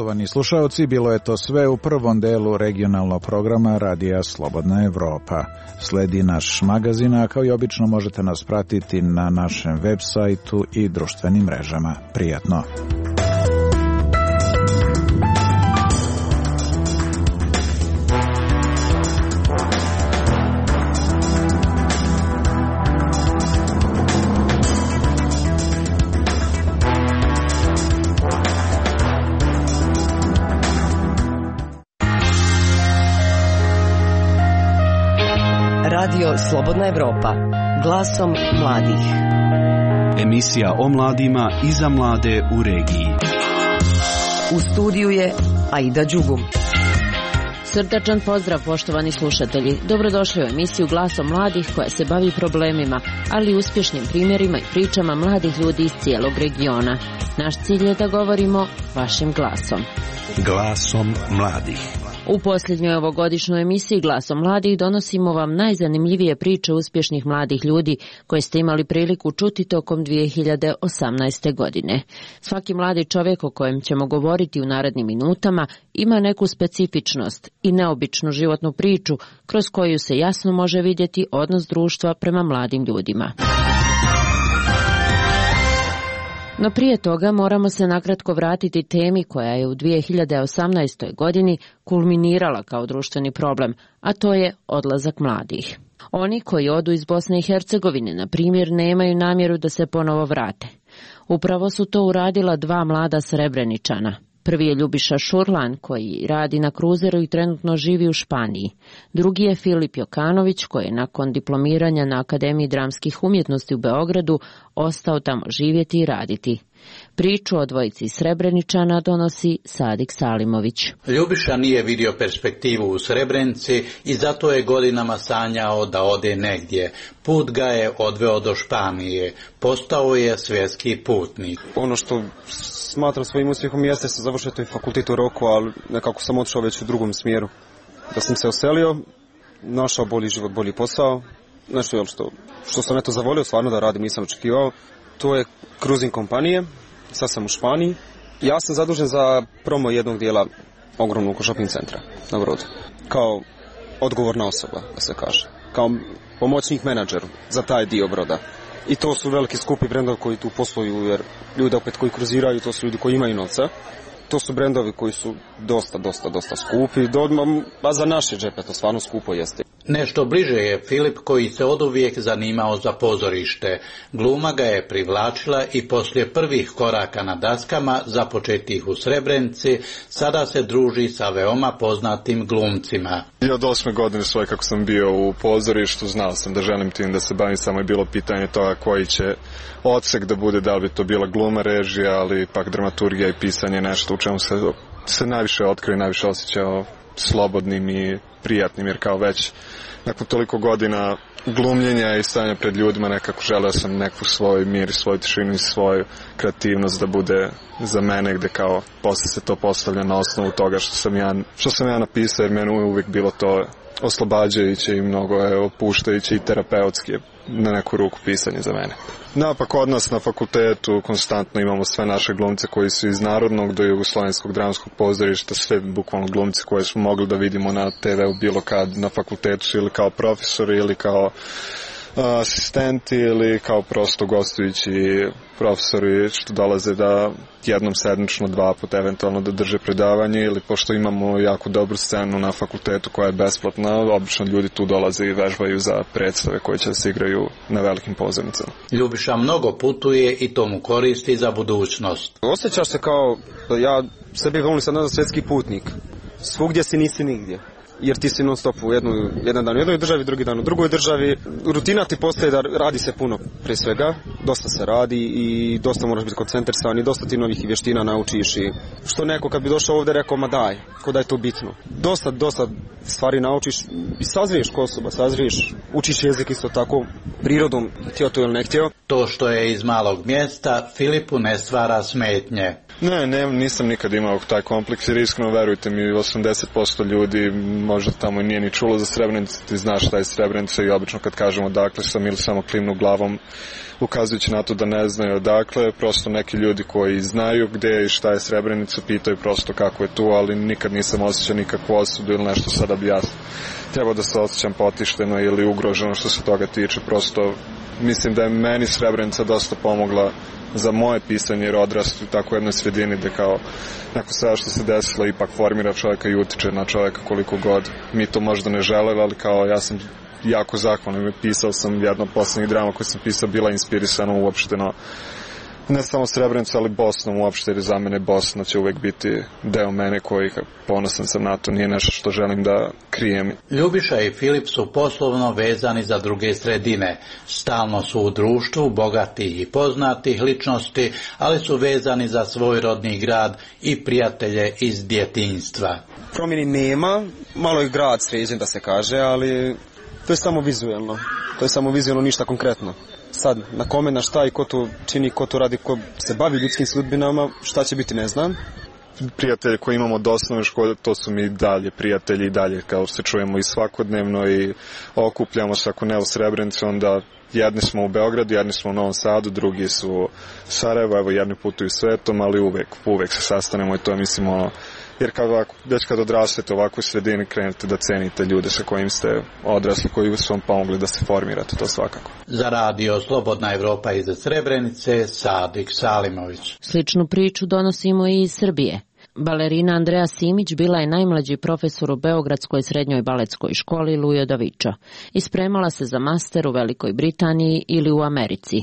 Poštovani slušaoci, bilo je to sve u prvom delu regionalnog programa Radija Slobodna Evropa. Sledi naš magazin, a kao i obično možete nas pratiti na našem web sajtu i društvenim mrežama. Prijatno! Radio Slobodna Evropa, glasom mladih. Emisija o mladima i za mlade u regiji. U studiju je Aida Đugum. Srdačan pozdrav, poštovani slušatelji. Dobrodošli u emisiju Glasom mladih koja se bavi problemima, ali i uspješnim primjerima i pričama mladih ljudi iz cijelog regiona. Naš cilj je da govorimo vašim glasom. Glasom mladih. U posljednjoj ovogodišnjoj emisiji Glasom mladih donosimo vam najzanimljivije priče uspješnih mladih ljudi koje ste imali priliku čuti tokom dvije hiljade osamnaeste. godine. Svaki mladi čovjek o kojem ćemo govoriti u narednim minutama ima neku specifičnost i neobičnu životnu priču kroz koju se jasno može vidjeti odnos društva prema mladim ljudima. No prije toga moramo se nakratko vratiti temi koja je u dvije hiljade osamnaestoj. godini kulminirala kao društveni problem, a to je odlazak mladih. Oni koji odu iz Bosne i Hercegovine, na primjer, nemaju namjeru da se ponovo vrate. Upravo su to uradila dva mlada Srebreničana. Prvi je Ljubiša Šurlan, koji radi na kruzeru i trenutno živi u Španiji. Drugi je Filip Jokanović, koji je nakon diplomiranja na Akademiji dramskih umjetnosti u Beogradu ostao tamo živjeti i raditi. Priču o dvojici Srebreničana donosi Sadik Salimović. Ljubiša nije vidio perspektivu u Srebrenici i zato je godinama sanjao da ode negdje. Put ga je odveo do Španije. Postao je svjetski putnik. Ono što smatram svojim uspjehom jeste se završio taj fakultet u roku, ali nekako sam otišao već u drugom smjeru. Da sam se oselio, našao bolji život, bolji posao. Nešto je što, što sam eto zavolio stvarno da radim, nisam očekivao. To je cruising kompanije, sad sam u Španiji. Ja sam zadužen za promo jednog dijela ogromnog shopping centra na Brodu. Kao odgovorna osoba, da se kaže. Kao pomoćnik menadžer za taj dio Broda. I to su veliki skupi brendovi koji tu posluju, jer ljudi opet koji kruziraju, to su ljudi koji imaju novca. To su brendovi koji su dosta, dosta, dosta skupi. A za naše džepe to stvarno skupo jeste. Nešto bliže je Filip, koji se oduvijek zanimao za pozorište. Gluma ga je privlačila i poslije prvih koraka na daskama, započetih u Srebrenici, sada se druži sa veoma poznatim glumcima. I od osme godine svoje kako sam bio u pozorištu, znao sam da želim tim da se bavim, samo je bilo pitanje toga koji će odsek da bude, da li bi to bila gluma, režija, ali pak dramaturgija i pisanje, nešto u čemu se, se najviše otkrio i najviše osjećao slobodnim i prijatnim, jer kao već nakon toliko godina glumljenja i stanja pred ljudima nekako želeo sam neku svoj mir i svoju tišinu i svoju kreativnost da bude za mene, gde kao posle se to postavlja na osnovu toga što sam ja, što sam ja napisao, jer meni uvijek bilo to oslobađajuće i mnogo je opuštajuće i terapeutski na neku ruku pisanje za mene. Napak kod nas na fakultetu konstantno imamo sve naše glumce koji su iz Narodnog do Jugoslovenskog dramskog pozorišta, sve bukvalno glumci koje smo mogli da vidimo na te veu bilo kad na fakultetu, ili kao profesori ili kao asistenti ili kao prosto gostujući profesori što dolaze da jednom sedmično, dva puta eventualno da drže predavanje, ili pošto imamo jako dobru scenu na fakultetu koja je besplatna, obično ljudi tu dolaze i vežbaju za predstave koje će se igraju na velikim pozornicama. Ljubiša mnogo putuje i to mu koristi za budućnost. Osjećaš se kao da ja sebi volim sad na svjetski putnik. Svugdje si nisi nigdje. Jer ti si non stop u jednu, jedan dan u jednoj državi, drugi dan u drugoj državi. Rutina ti postaje da radi se puno prije svega, dosta se radi i dosta moraš biti koncentrisan i dosta ti novih vještina naučiš i što neko kad bi došao ovdje rekao ma daj, ko da je to bitno. Dosta, dosta stvari naučiš i sazriješ ko osoba, sazriješ, učiš jezik isto tako prirodom, htio to ili ne htio. To što je iz malog mjesta Filipu ne stvara smetnje. Ne, ne, nisam nikad imao taj kompleks jer iskreno verujte mi osamdeset posto ljudi možda tamo nije ni čulo za Srebrenicu, ti znaš šta je Srebrenica i obično kad kažemo odakle sam ili samo klimnu glavom ukazujući na to da ne znaju odakle, prosto neki ljudi koji znaju gde je i šta je Srebrenica pitaju prosto kako je tu, ali nikad nisam osjećao nikakvu osudu ili nešto sada bi ja trebao da se osjećam potišteno ili ugroženo što se toga tiče, prosto mislim da je meni Srebrenica dosta pomogla za moje pisanje jer odrastu u tako jednoj sredini da kao neko sve što se desilo ipak formira čovjeka i utiče na čovjeka koliko god mi to možda ne želeli, ali kao ja sam jako zahvalan, pisao sam jedno od poslednjih drama koje sam pisao bila inspirisana uopšteno ne samo Srebrenicu, ali Bosnom uopšte, jer za mene Bosna će uvek biti deo mene koji ponosan sam na to, nije nešto što želim da krijem. Ljubiša i Filip su poslovno vezani za druge sredine. Stalno su u društvu bogatih i poznatih ličnosti, ali su vezani za svoj rodni grad i prijatelje iz djetinjstva. Promjeni nema, malo je grad sređen da se kaže, ali to je samo vizuelno. To je samo vizuelno, ništa konkretno. Sad, na kome, na šta i ko to čini, ko to radi, ko se bavi ljudskim sudbinama, šta će biti, ne znam. Prijatelje koje imamo od osnovne škole, to su mi dalje prijatelji i dalje, kao se čujemo i svakodnevno i okupljamo se, ako ne u Srebrenici, onda jedni smo u Beogradu, jedni smo u Novom Sadu, drugi su u Sarajevo, evo jedni putuju svetom, ali uvek, uvek se sastanemo i to mislim ono, jer kad ovako, već kad odrastete u ovakvoj sredini krenete da cenite ljude sa kojim ste odrasli, koji su vam pomogli da se formirate, to svakako. Za radio Slobodna Evropa iz Srebrenice, Sadik Salimović. Sličnu priču donosimo i iz Srbije. Balerina Andreja Simić bila je najmlađi profesor u Beogradskoj srednjoj baletskoj školi Lujo Davičo i spremala se za master u Velikoj Britaniji ili u Americi.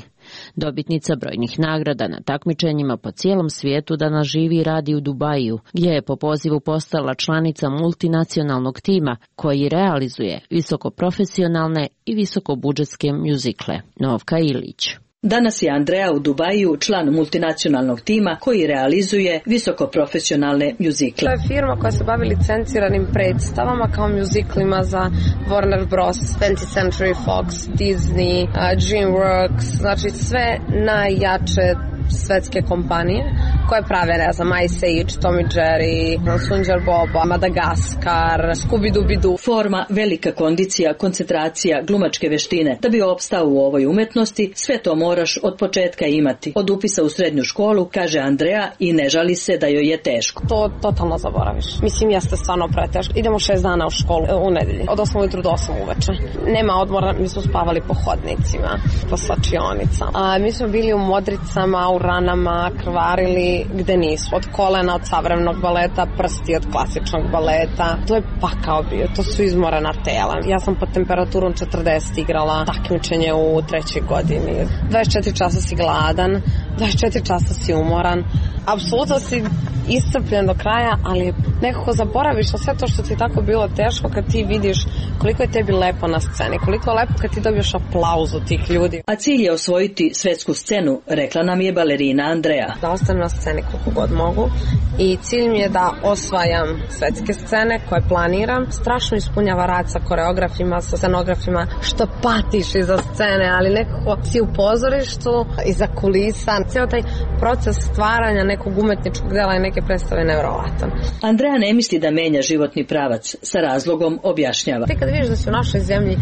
Dobitnica brojnih nagrada na takmičenjima po cijelom svijetu danas živi i radi u Dubaju, gdje je po pozivu postala članica multinacionalnog tima koji realizuje visokoprofesionalne i visokobudžetske mjuzikle. Novka Ilić. Danas je Andreja u Dubaju član multinacionalnog tima koji realizuje visokoprofesionalne mjuzikle. To je firma koja se bavi licenciranim predstavama kao mjuziklima za Warner Bros, twentieth Century Fox, Disney, uh, DreamWorks, znači sve najjače svetske kompanije koje prave, ne znam, Ice Age, Tom and Jerry, Sunđer Boba, Madagaskar, Scooby-Dooby-Doo. Forma, velika kondicija, koncentracija, glumačke veštine. Da bi opstao u ovoj umetnosti, sve to moraš od početka imati. Od upisa u srednju školu, kaže Andreja, i ne žali se da joj je teško. To totalno zaboraviš. Mislim, jeste stvarno preteško. Idemo šest dana u školu u nedelji. Od osam ujutru do osam uveče. Nema odmora, mi smo spavali po hodnicima, po slačionicama. A, mi smo bili u modricama, u ranama, krvarili gde nisu. Od kolena, od savremenog baleta, prsti od klasičnog baleta. To je pakao bio, to su izmorena tela. Ja sam pod temperaturom četrdeset igrala takmičenje u trećoj godini. dvadeset četiri časa si gladan, dvadeset četiri časa si umoran. Apsolutno si iscrpljen do kraja, ali nekako zaboraviš na sve to što ti tako bilo teško kad ti vidiš koliko je tebi lepo na sceni, koliko je lepo kad ti dobiješ aplauzu tih ljudi. A cilj je osvojiti svetsku scenu, rekla nam je balerina Andreja. Da ostanem na sceni koliko god mogu i cilj mi je da osvajam svetske scene koje planiram. Strašno ispunjava rad sa koreografima, sa scenografima, što patiš iza scene, ali nekako si u pozorištu, iza kulisa. Cijel taj proces stvaranja nekog umetničkog dela i neke predstave nevjerovatan. Andreja ne misli da menja životni pravac, sa razlogom objašnjava. Ti kad vidiš da si u našoj zemlji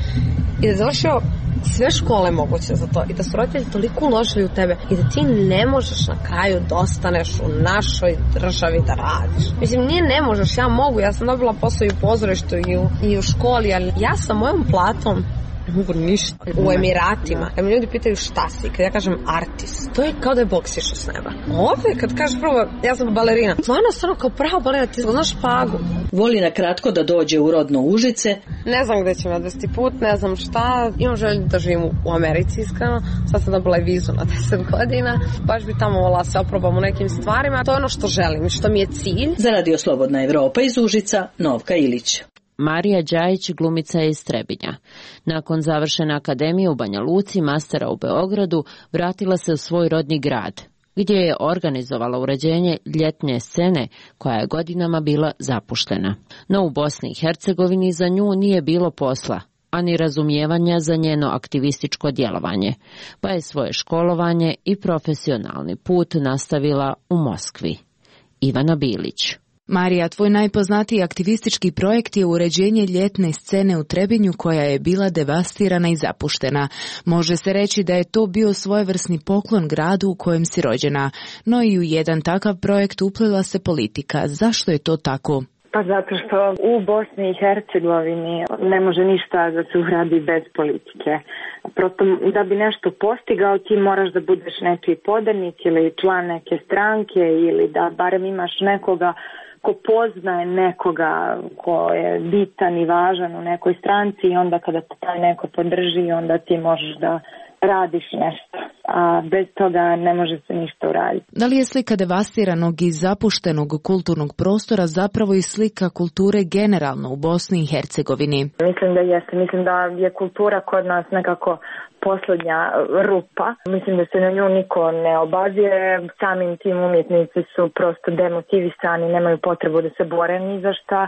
i da je završio sve škole moguće za to i da su roditelji toliko uložili u tebe i da ti ne možeš na kraju da ostaneš u našoj državi da radiš. Mislim, nije ne možeš, ja mogu, ja sam dobila posao i u pozorištu i u, i u školi, ali ja sa mojom platom ne mogu ništa. U Emiratima, kad mi ljudi pitaju šta si, kad ja kažem artist, to je kao da je Bog sišao s neba. Ovdje, kad kažeš prvo, ja sam balerina, stvarno stvarno kao prava balerina, ti znaš špagu. Voli na kratko da dođe u rodno Užice. Ne znam gde će me odvesti put, ne znam šta, imam želju da živim u Americi, iskreno. Sad sam dobila i vizu na deset godina, baš bi tamo volila se oprobam u nekim stvarima. To je ono što želim i što mi je cilj. Za radio Slobodna Evropa iz Užica, Novka Ilić. Marija Đajić glumica je iz Trebinja. Nakon završene akademije u Banja Luci, mastera u Beogradu, vratila se u svoj rodni grad, gdje je organizovala uređenje ljetne scene koja je godinama bila zapuštena. No u Bosni i Hercegovini za nju nije bilo posla, a ni razumijevanja za njeno aktivističko djelovanje, pa je svoje školovanje i profesionalni put nastavila u Moskvi. Ivana Bilić. Marija, tvoj najpoznatiji aktivistički projekt je uređenje ljetne scene u Trebinju koja je bila devastirana i zapuštena. Može se reći da je to bio svojevrsni poklon gradu u kojem si rođena, no i u jedan takav projekt uplila se politika. Zašto je to tako? Pa zato što u Bosni i Hercegovini ne može ništa da se uradi bez politike. Prosto da bi nešto postigao ti moraš da budeš neki podanik ili član neke stranke ili da barem imaš nekoga ko poznaje nekoga ko je bitan i važan u nekoj stranci i onda kada te taj neko podrži onda ti možeš da radiš nešto, a bez toga ne može se ništa uraditi. Da li je slika devastiranog i zapuštenog kulturnog prostora zapravo i slika kulture generalno u Bosni i Hercegovini? Mislim da jeste. Mislim da je kultura kod nas nekako posljednja rupa. Mislim da se na nju niko ne obazire. Samim tim umjetnici su prosto demotivisani, nemaju potrebu da se bore ni za šta.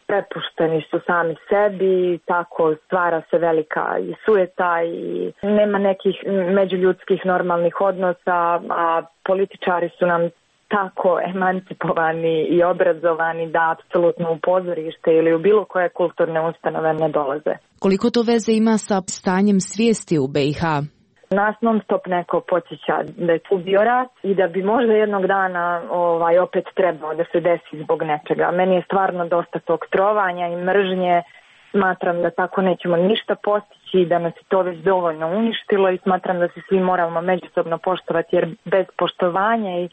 Prepušteni su sami sebi, tako stvara se velika i sujeta i nema nekih međuljudskih normalnih odnosa, a političari su nam tako emancipovani i obrazovani da apsolutno u pozorište ili u bilo koje kulturne ustanove ne dolaze. Koliko to veze ima sa stanjem svijesti u B i H? Nas non stop neko podsjeća da je tu bio rat i da bi možda jednog dana ovaj, opet trebao da se desi zbog nečega. Meni je stvarno dosta tog trovanja i mržnje. Smatram da tako nećemo ništa postići, da nas je to već dovoljno uništilo i smatram da se svi moramo međusobno poštovati jer bez poštovanja i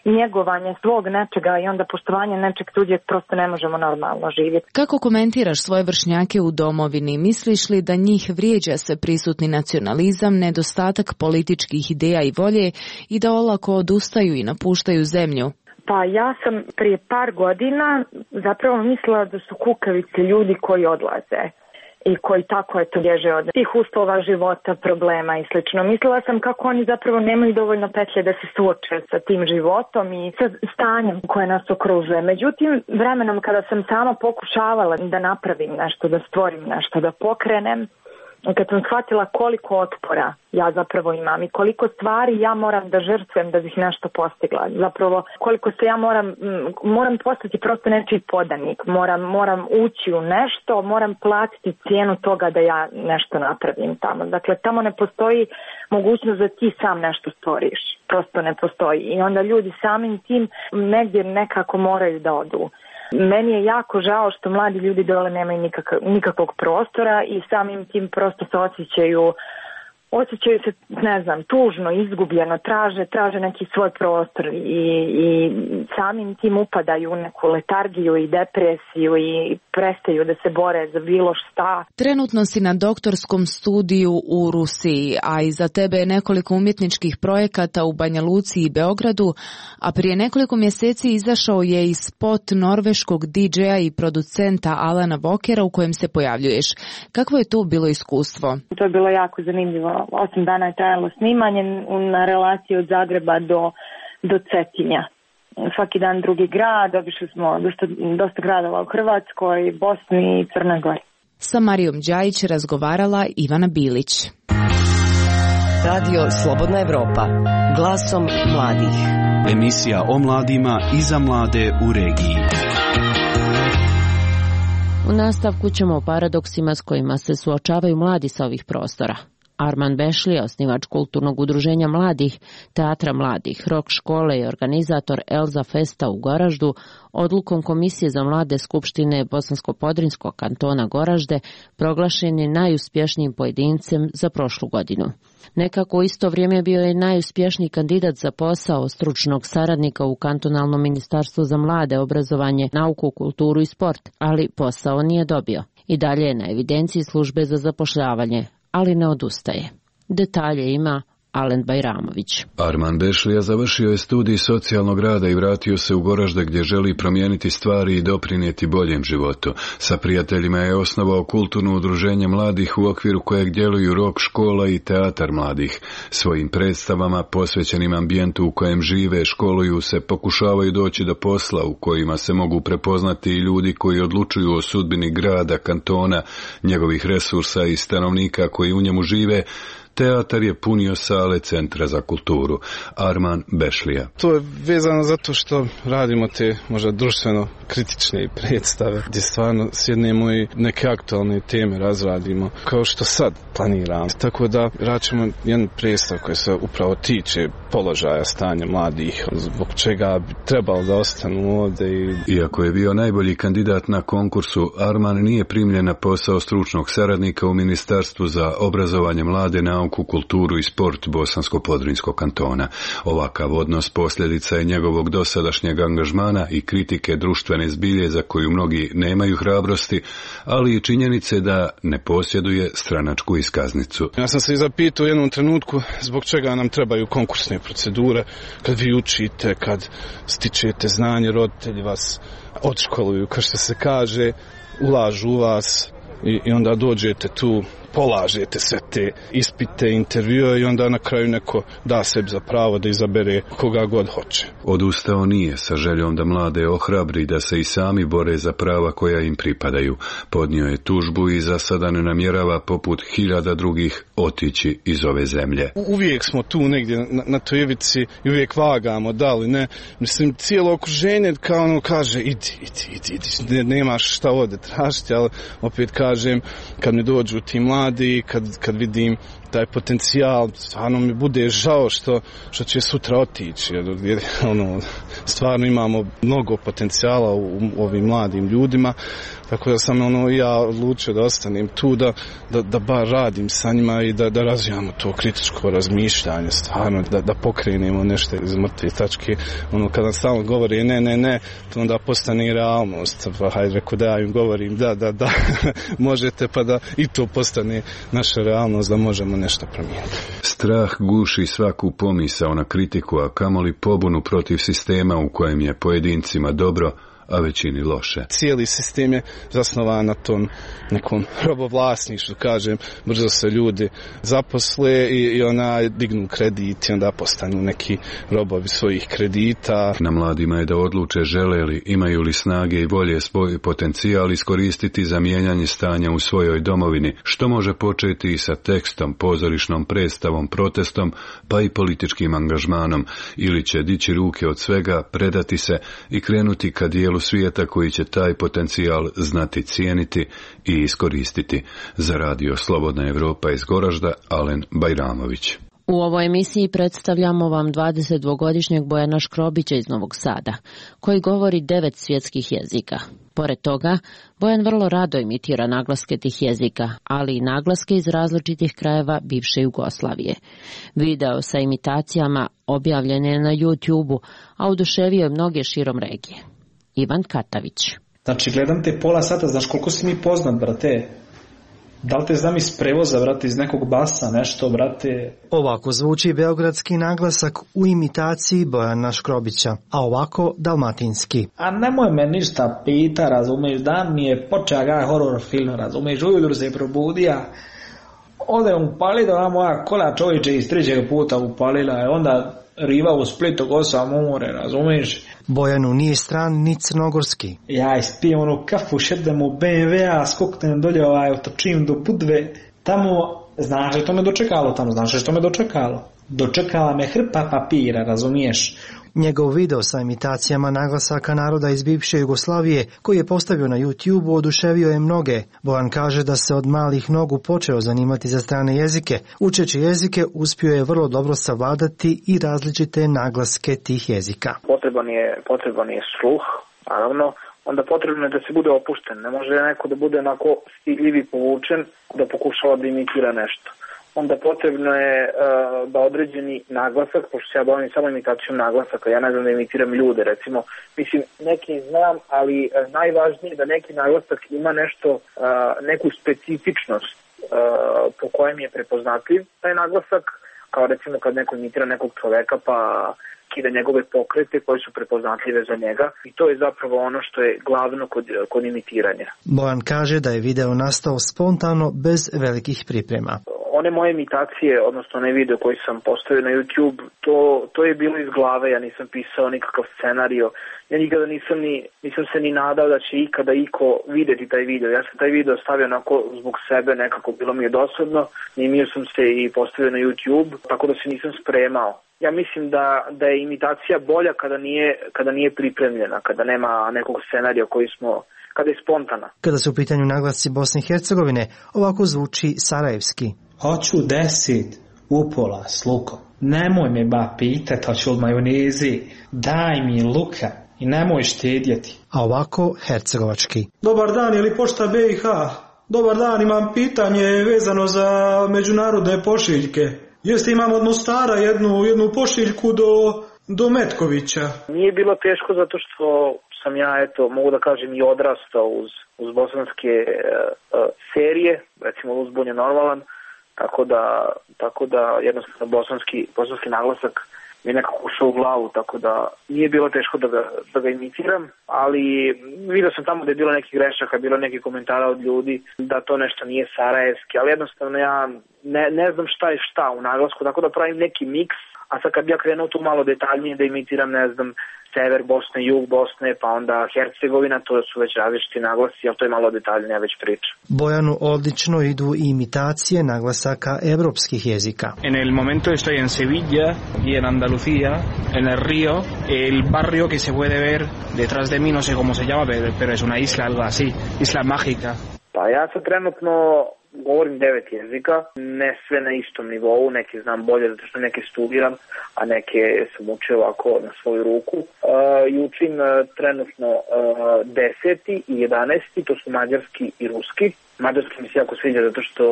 njegovanja svog nečega i onda poštovanja nečeg tuđeg prosto ne možemo normalno živjeti. Kako komentiraš svoje vršnjake u domovini? Misliš li da njih vrijeđa sve prisutni nacionalizam, nedostatak političkih ideja i volje i da olako odustaju i napuštaju zemlju? Pa ja sam prije par godina zapravo mislila da su kukavice ljudi koji odlaze i koji tako eto bježe od tih uslova života, problema i slično. Mislila sam kako oni zapravo nemaju dovoljno petlje da se suoče sa tim životom i sa stanjem koje nas okružuje. Međutim, vremenom kada sam sama pokušavala da napravim nešto, da stvorim nešto, da pokrenem, kad sam shvatila koliko otpora ja zapravo imam i koliko stvari ja moram da žrtvujem da bih nešto postigla. Zapravo koliko se ja moram, moram postati prosto nečiji podanik, moram, moram ući u nešto, moram platiti cijenu toga da ja nešto napravim tamo. Dakle, tamo ne postoji mogućnost da ti sam nešto stvoriš. Prosto ne postoji. I onda ljudi samim tim negdje nekako moraju da odu. Meni je jako žao što mladi ljudi dole nemaju nikak, nikakvog prostora i samim tim prosto se osjećaju, osjećaju se, ne znam, tužno, izgubljeno, traže, traže neki svoj prostor i, i samim tim upadaju u neku letargiju i depresiju i prestaju da se bore za bilo šta. Trenutno si na doktorskom studiju u Rusiji, a iza tebe je nekoliko umjetničkih projekata u Banja Luci i Beogradu, a prije nekoliko mjeseci izašao je i spot norveškog didžeja i producenta Alana Walkera u kojem se pojavljuješ. Kakvo je to bilo iskustvo? To je bilo jako zanimljivo. Osam dana je trajalo snimanje na relaciji od Zagreba do, do Cetinja. Svaki dan drugi grad, obišli smo dosta, dosta gradova u Hrvatskoj, Bosni i Crnoj Gori. Sa Marijom Đajić razgovarala Ivana Bilić. Radio Slobodna Evropa, glasom mladih. Emisija o mladima i za mlade u regiji. U nastavku ćemo o paradoksima s kojima se suočavaju mladi sa ovih prostora. Arman Bešlija, osnivač kulturnog udruženja mladih, teatra mladih, rok škole i organizator Elza Festa u Goraždu, odlukom Komisije za mlade Skupštine Bosansko-Podrinskog kantona Goražde proglašen je najuspješnijim pojedincem za prošlu godinu. Nekako u isto vrijeme bio je najuspješniji kandidat za posao stručnog saradnika u kantonalnom ministarstvu za mlade, obrazovanje, nauku, kulturu i sport, ali posao nije dobio. I dalje je na evidenciji službe za zapošljavanje, ali ne odustaje. Detalje ima Alen Bajramović. Arman Bešlija završio je studij socijalnog rada i vratio se u Goražde gdje želi promijeniti stvari i doprinijeti boljem životu. Sa prijateljima je osnovao kulturno udruženje mladih u okviru kojeg djeluju rock škola i teatar mladih. Svojim predstavama posvećenim ambijentu u kojem žive, školuju se, pokušavaju doći do posla u kojima se mogu prepoznati i ljudi koji odlučuju o sudbini grada, kantona, njegovih resursa i stanovnika koji u njemu žive. Teatar je punio sale Centra za kulturu. Arman Bešlija. To je vezano zato što radimo te možda društveno kritične predstave gdje stvarno sjednemo i neke aktualne teme razradimo kao što sad planiramo. Tako da račemo jedan predstav koji se upravo tiče položaja stanja mladih, zbog čega bi trebalo da ostanu ovdje. I... Iako je bio najbolji kandidat na konkursu, Arman nije primljen na posao stručnog saradnika u Ministarstvu za obrazovanje, mlade, nauku, kulturu i sport Bosansko-Podrinjskog kantona. Ovakav odnos posljedica je njegovog dosadašnjeg angažmana i kritike društvene zbilje za koju mnogi nemaju hrabrosti, ali i činjenice da ne posjeduje stranačku iskaznicu. Ja sam se i zapitao u jednom trenutku zbog čega nam trebaju konkursne procedure, kad vi učite, kad stičete znanje, roditelji vas odškoluju, kao što se kaže, ulažu u vas i, i onda dođete tu, polažete sve te ispite, intervjue i onda na kraju neko da sebi za pravo da izabere koga god hoće. Odustao nije sa željom da mlade ohrabri da se i sami bore za prava koja im pripadaju. Podnio je tužbu i za sada ne namjerava poput hiljada drugih otići iz ove zemlje. Uvijek smo tu negdje na, na toj ivici i uvijek vagamo, da li ne. Mislim, cijelo okruženje kao ono kaže idi, idi, idi, idi. Ne, nemaš šta ovdje tražiti, ali opet kažem, kad mi dođu ti mladi, kad, kad vidim taj potencijal, stvarno mi bude žao što, što će sutra otići. Jer, ono, stvarno imamo mnogo potencijala u, u ovim mladim ljudima, tako da sam ono, ja odlučio da ostanem tu, da, da, da bar radim sa njima i da, da razvijamo to kritičko razmišljanje, stvarno, da, da pokrenemo nešto iz mrtve tačke. Ono, kada stalno govori ne, ne, ne, to onda postane realnost. Pa hajde, reko da ja im govorim da, da, da, možete, pa da i to postane naša realnost, da možemo nešto promijeniti. Strah guši svaku pomisao na kritiku, a kamoli pobunu protiv sistema u kojem je pojedincima dobro, a većini loše. Cijeli sistem je zasnovan na tom nekom robovlasništvu, kažem, brzo se ljudi zaposle i, i ona dignu kredit i onda postanu neki robovi svojih kredita. Na mladima je da odluče žele li, imaju li snage i volje svoj potencijal iskoristiti za mijenjanje stanja u svojoj domovini, što može početi i sa tekstom, pozorišnom predstavom, protestom, pa i političkim angažmanom, ili će dići ruke od svega, predati se i krenuti ka dijelu svijeta koji će taj potencijal znati cijeniti i iskoristiti. Za radio Slobodna Evropa iz Goražda, Alen Bajramović. U ovoj emisiji predstavljamo vam dvadesetdvogodišnjeg Bojana Škrobića iz Novog Sada, koji govori devet svjetskih jezika. Pored toga, Bojan vrlo rado imitira naglaske tih jezika, ali i naglaske iz različitih krajeva bivše Jugoslavije. Video sa imitacijama objavljen je na YouTube-u, a oduševio je mnoge širom regije. Ivan Katavić. Znači, gledam te pola sata, znaš koliko si mi poznat, brate? Da li te znam iz prevoza, brate, iz nekog basa, nešto, brate? Ovako zvuči beogradski naglasak u imitaciji Bojana Škrobića, a ovako dalmatinski. A nemoj me ništa pita, razumiješ, dan mi je počeo ga horror film, razumiješ, ujutru se probudija, ode upalila ona moja kola čovječe iz trećeg puta upalila je, onda riva u Splitu gosa more, razumiješ? Bojanu nije stran ni crnogorski. Ja ispijem onu kafu, šedem u be em ve a, skoknem dolje, ovaj, otočim do Budve, tamo, znaš što me dočekalo tamo, znaš što me dočekalo? Dočekala me hrpa papira, razumiješ? Njegov video sa imitacijama naglasaka naroda iz bivše Jugoslavije, koji je postavio na YouTube, oduševio je mnoge. Bojan kaže da se od malih nogu počeo zanimati za strane jezike. Učeći jezike, uspio je vrlo dobro savladati i različite naglaske tih jezika. Potreban je, potreban je sluh, naravno, onda potrebno je da se bude opušten. Ne može neko da bude onako stidljiv i povučen, da pokušava da imitira nešto. Onda potrebno je uh, da određeni naglasak, pošto se ja bavim samo imitacijom naglasaka, ja ne znam da imitiram ljude, recimo, mislim, neki znam, ali uh, najvažnije je da neki naglasak ima nešto, uh, neku specifičnost uh, po kojem je prepoznatljiv taj naglasak, kao recimo kad neko imitira nekog čoveka pa kida njegove pokrete koji su prepoznatljive za njega i to je zapravo ono što je glavno kod, kod imitiranja. Bojan kaže da je video nastao spontano bez velikih priprema. One moje imitacije, odnosno onaj video koji sam postavio na YouTube, to, to je bilo iz glave, ja nisam pisao nikakav scenario. Ja nikada nisam, ni, nisam se ni nadao da će ikada iko videti taj video. Ja sam taj video stavio onako zbog sebe, nekako bilo mi je dosadno, snimio sam se i postavio na YouTube, tako da se nisam spremao. Ja mislim da, da je imitacija bolja kada nije, kada nije pripremljena, kada nema nekog scenarija koji smo, kada je spontana. Kada su u pitanju naglasci Bosne i Hercegovine, ovako zvuči sarajevski. Hoću deset upola s lukom. Nemoj me ba pitat, hoću od majonezi. Daj mi luka i nemoj štedjeti. A ovako hercegovački. Dobar dan, je li pošta B i H? Dobar dan, imam pitanje vezano za međunarodne pošiljke. Jeste, imam od Mostara jednu, jednu pošiljku do, do Metkovića. Nije bilo teško zato što sam ja, eto, mogu da kažem i odrastao uz, uz bosanske uh, serije, recimo Uzbun je normalan, tako da, tako da jednostavno bosanski, bosanski naglasak mi je nekako ušao u glavu, tako da nije bilo teško da ga, da ga imitiram, ali vidio sam tamo da je bilo nekih grešaka, bilo nekih komentara od ljudi da to nešto nije sarajevski, ali jednostavno ja ne, ne znam šta je šta u naglasku, tako da pravim neki miks, a sad kad bi ja krenuo tu malo detaljnije da imitiram, ne znam, sever Bosne, jug Bosne, pa onda Hercegovina, to su već različiti naglasi, ali to je malo detaljnija već priča. Bojanu odlično idu i imitacije naglasaka evropskih jezika. En el momento estoy en Sevilla y en Andalucía, en el río, el barrio que se puede ver detrás de mí, no sé cómo se llama, pero es una isla, algo así, isla mágica. Pa ja sad trenutno govorim devet jezika, ne sve na istom nivou, neke znam bolje zato što neke studiram, a neke sam učio ovako na svoju ruku. Uh, I učim uh, trenutno uh, deseti i jedanesti, to su mađarski i ruski. Mađarski mi se jako sviđa zato što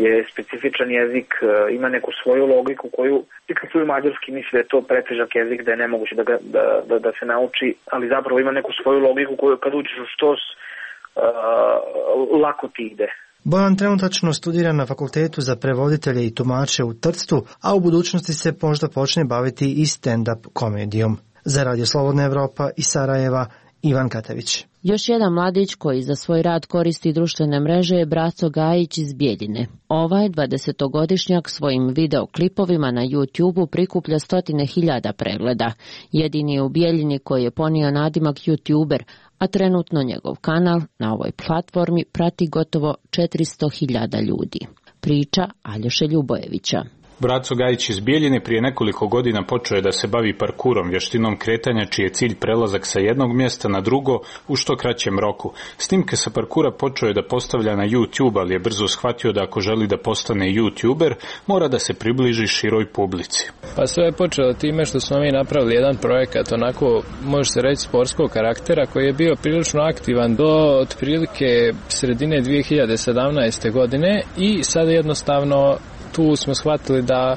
je specifičan jezik, uh, ima neku svoju logiku koju, i kad čuju mađarski misle da je to pretežak jezik, da je nemoguće da, ga, da, da, da se nauči, ali zapravo ima neku svoju logiku koju kad učiš u štos, uh, lako ti ide. Bojan trenutačno studira na Fakultetu za prevoditelje i tumače u Trstu, a u budućnosti se možda počne baviti i stand-up komedijom. Za Radio Slobodna Evropa iz Sarajeva, Ivan Katević. Još jedan mladić koji za svoj rad koristi društvene mreže je Braco Gajić iz Bijeljine. Ovaj dvadesetogodišnjak svojim videoklipovima na YouTubeu prikuplja stotine hiljada pregleda. Jedini je u Bijeljini koji je ponio nadimak YouTuber, a trenutno njegov kanal na ovoj platformi prati gotovo četiristo hiljada ljudi. Priča Aljoše Ljubojevića. Braco Gajić iz Bijeljine prije nekoliko godina počeo je da se bavi parkurom, vještinom kretanja čiji je cilj prelazak sa jednog mjesta na drugo u što kraćem roku. Snimke sa parkura počeo je da postavlja na YouTube, ali je brzo shvatio da ako želi da postane YouTuber, mora da se približi široj publici. Pa sve je počelo time što smo mi napravili jedan projekat, onako može se reći sportskog karaktera, koji je bio prilično aktivan do otprilike sredine dvije hiljade sedamnaeste. godine i sad jednostavno tu smo shvatili da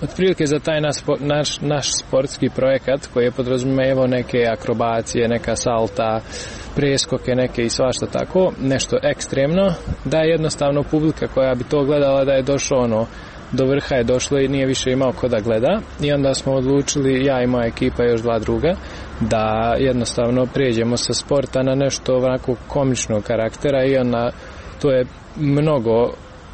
otprilike za taj naš, naš, naš sportski projekat koji je podrazumijevao neke akrobacije, neka salta, preskoke neke i svašta tako, nešto ekstremno, da je jednostavno publika koja bi to gledala da je došlo ono, do vrha je došlo i nije više imao ko da gleda i onda smo odlučili, ja i moja ekipa i još dva druga, da jednostavno prijeđemo sa sporta na nešto onako komičnog karaktera i onda to je mnogo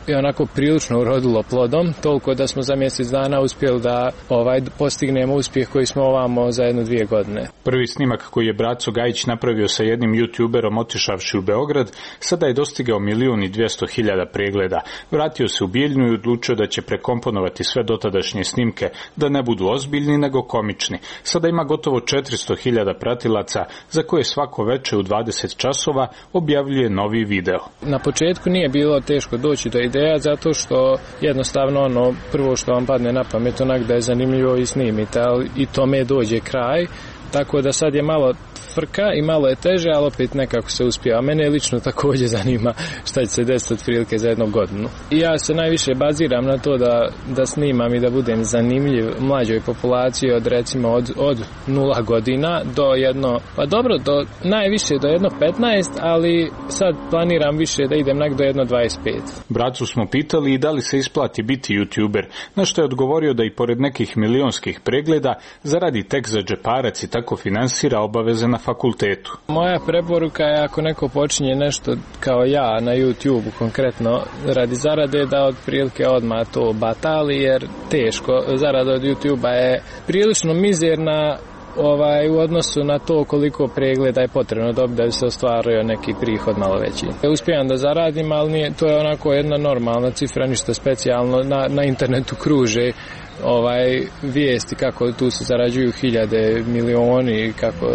i onako prilično urodilo plodom, toliko da smo za mjesec dana uspjeli da ovaj postignemo uspjeh koji smo ovamo za jedno dvije godine. Prvi snimak koji je Braco Gajić napravio sa jednim YouTuberom otišavši u Beograd, sada je dostigao milijun i dvjesto hiljada pregleda. Vratio se u Bijeljinu i odlučio da će prekomponovati sve dotadašnje snimke, da ne budu ozbiljni nego komični. Sada ima gotovo četiristo hiljada pratilaca, za koje svako veče u dvadeset časova objavljuje novi video. Na početku nije bilo teško doći do ideja, zato što jednostavno ono prvo što vam padne na pamet onak da je zanimljivo i snimite, ali i tome dođe kraj, tako da sad je malo frka i malo je teže, ali opet nekako se uspije. A mene lično također zanima šta će se desiti otprilike za jednu godinu. I ja se najviše baziram na to da, da snimam i da budem zanimljiv mlađoj populaciji od recimo od, od nula godina do jedno, pa dobro, do najviše do jedno petnaest, ali sad planiram više da idem nak do jedno dvadeset pet. Bracu smo pitali i da li se isplati biti youtuber, na što je odgovorio da i pored nekih milionskih pregleda zaradi tek za džeparac i tako finansira obaveze na fakultetu. Moja preporuka je ako neko počinje nešto kao ja na YouTube konkretno radi zarade da otprilike odmah to batali jer teško. Zarada od YouTube-a je prilično mizerna ovaj, u odnosu na to koliko pregleda je potrebno dobiti da bi se ostvario neki prihod malo veći. Uspijem da zaradim, ali nije, to je onako jedna normalna cifra, ništa specijalno. Na, na internetu kruže ovaj vijesti kako tu se zarađuju hiljade, milioni, kako,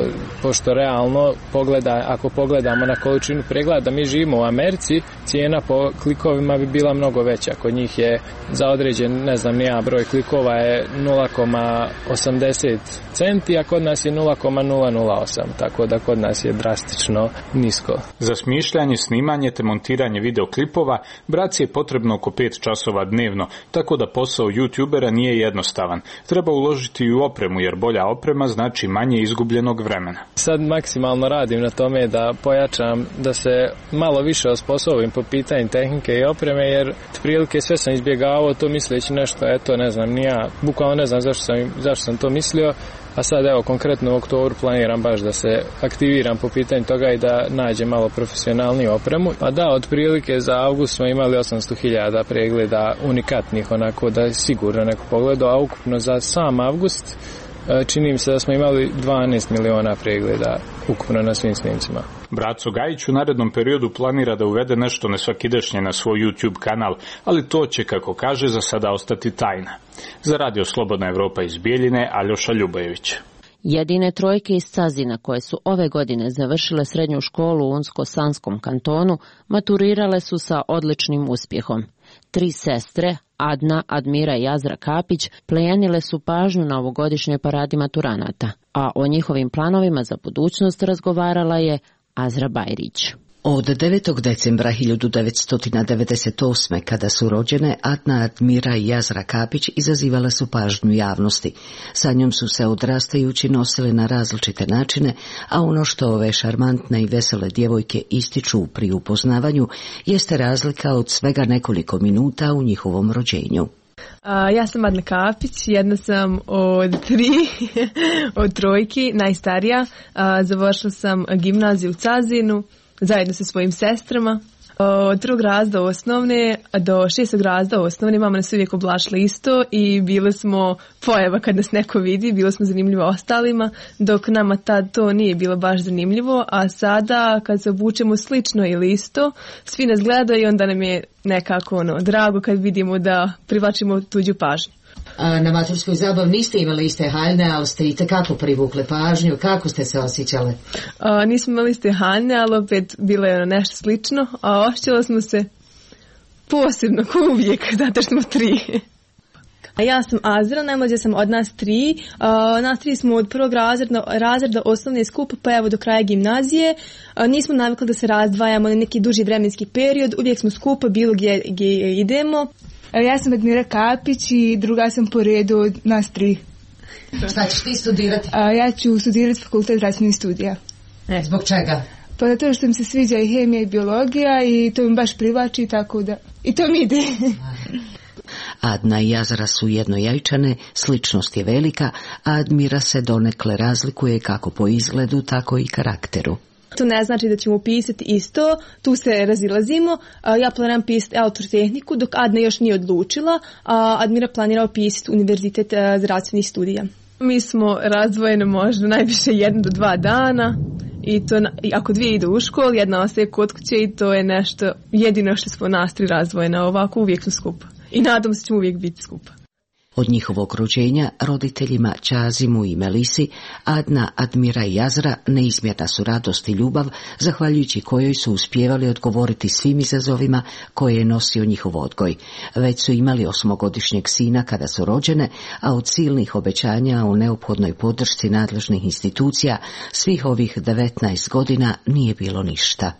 pošto realno pogleda, ako pogledamo na količinu pregleda, mi živimo u Americi, cijena po klikovima bi bila mnogo veća. Kod njih je za određen, ne znam nija, broj klikova je nula zarez osamdeset centi, a kod nas je nula zarez nula nula osam, tako da kod nas je drastično nisko. Za smišljanje, snimanje te montiranje videoklipova braci je potrebno oko pet časova dnevno, tako da posao youtubera nije jednostavan. Treba uložiti i u opremu, jer bolja oprema znači manje izgubljenog vremena. Sad maksimalno radim na tome da pojačam, da se malo više osposobim po pitanju tehnike i opreme, jer prilike sve sam izbjegavao to misleći nešto, eto ne znam, ni ja, bukvalno ne znam zašto sam, zašto sam to mislio, a sad evo konkretno u oktobru planiram baš da se aktiviram po pitanju toga i da nađem malo profesionalniju opremu. Pa da, otprilike za avgust smo imali osamsto hiljada pregleda unikatnih, onako da je sigurno neko pogledao, a ukupno za sam avgust čini mi se da smo imali dvanaest miliona pregleda ukupno na svim snimcima. Braco Gajić u narednom periodu planira da uvede nešto nesvakidašnje na svoj YouTube kanal, ali to će, kako kaže, za sada ostati tajna. Za Radio Slobodna Evropa iz Bijeljine, Aljoša Ljubajević. Jedine trojke iz Cazina koje su ove godine završile srednju školu u Unsko-Sanskom kantonu maturirale su sa odličnim uspjehom. Tri sestre, Adna, Admira i Azra Kapić, plenile su pažnju na ovogodišnjoj paradi maturanata, a o njihovim planovima za budućnost razgovarala je Azra Bajrić. Od devetog decembra hiljadu devetsto devedeset osme. kada su rođene, Adna, Admira i Azra Kapić izazivale su pažnju javnosti. Sa njom su se odrastajući nosile na različite načine, a ono što ove šarmantne i vesele djevojke ističu pri upoznavanju jeste razlika od svega nekoliko minuta u njihovom rođenju. A, ja sam Adna Kapić, jedna sam od tri, od trojki, najstarija. A, završila sam gimnaziju u Cazinu zajedno sa svojim sestrama. Od drugog razda osnovne do šestog razda osnovne mama nas uvijek oblačila isto i bile smo pojava kad nas neko vidi, bilo smo zanimljivo ostalima, dok nama tad to nije bilo baš zanimljivo, a sada kad se obučemo slično ili isto, svi nas gledaju i onda nam je nekako ono, drago kad vidimo da privlačimo tuđu pažnju. A na maturskoj zabavi niste imali iste haljne, ali ste i tekako privukle pažnju. Kako ste se osjećale? A, nismo imali iste haljne, ali opet bilo je nešto slično, a osjećala smo se posebno, ko uvijek, zato što smo tri. A ja sam Azra, najmlađa sam od nas tri. A, nas tri smo od prvog razreda, razreda osnovne skupa pa evo do kraja gimnazije. A, nismo navikli da se razdvajamo na neki duži vremenski period, uvijek smo skupa bilo gdje, gdje idemo. Ja sam Admira Kapić i druga sam po redu od nas tri. Šta ćeš ti studirati? A, ja ću studirati fakultet zdravstvenih studija. E, zbog čega? Pa zato što mi se sviđa i hemija i biologija i to mi baš privlači, tako da i to mi ide. Adna i Azra su jednojajčane, sličnost je velika, a Admira se donekle razlikuje kako po izgledu, tako i karakteru. To ne znači da ćemo pisati isto, tu se razilazimo. Ja planiram pisati elektrotehniku, dok Adna još nije odlučila, a Admira planirao pisati univerzitet zdravstvenih studija. Mi smo razdvojene možda najviše jedan do dva dana i to i ako dvije idu u školu, jedna ostaje kod kuće i to je nešto jedino što smo nas tri razdvojene, ovako uvijek smo skupa. I nadam se ćemo uvijek biti skupa. Od njihovog rođenja roditeljima Čazimu i Melisi, Adna, Admira i Jazra neizmjerna su radost i ljubav, zahvaljujući kojoj su uspijevali odgovoriti svim izazovima koje je nosio njihov odgoj. Već su imali osmogodišnjeg sina kada su rođene, a od silnih obećanja o neophodnoj podršci nadležnih institucija svih ovih devetnaest godina nije bilo ništa.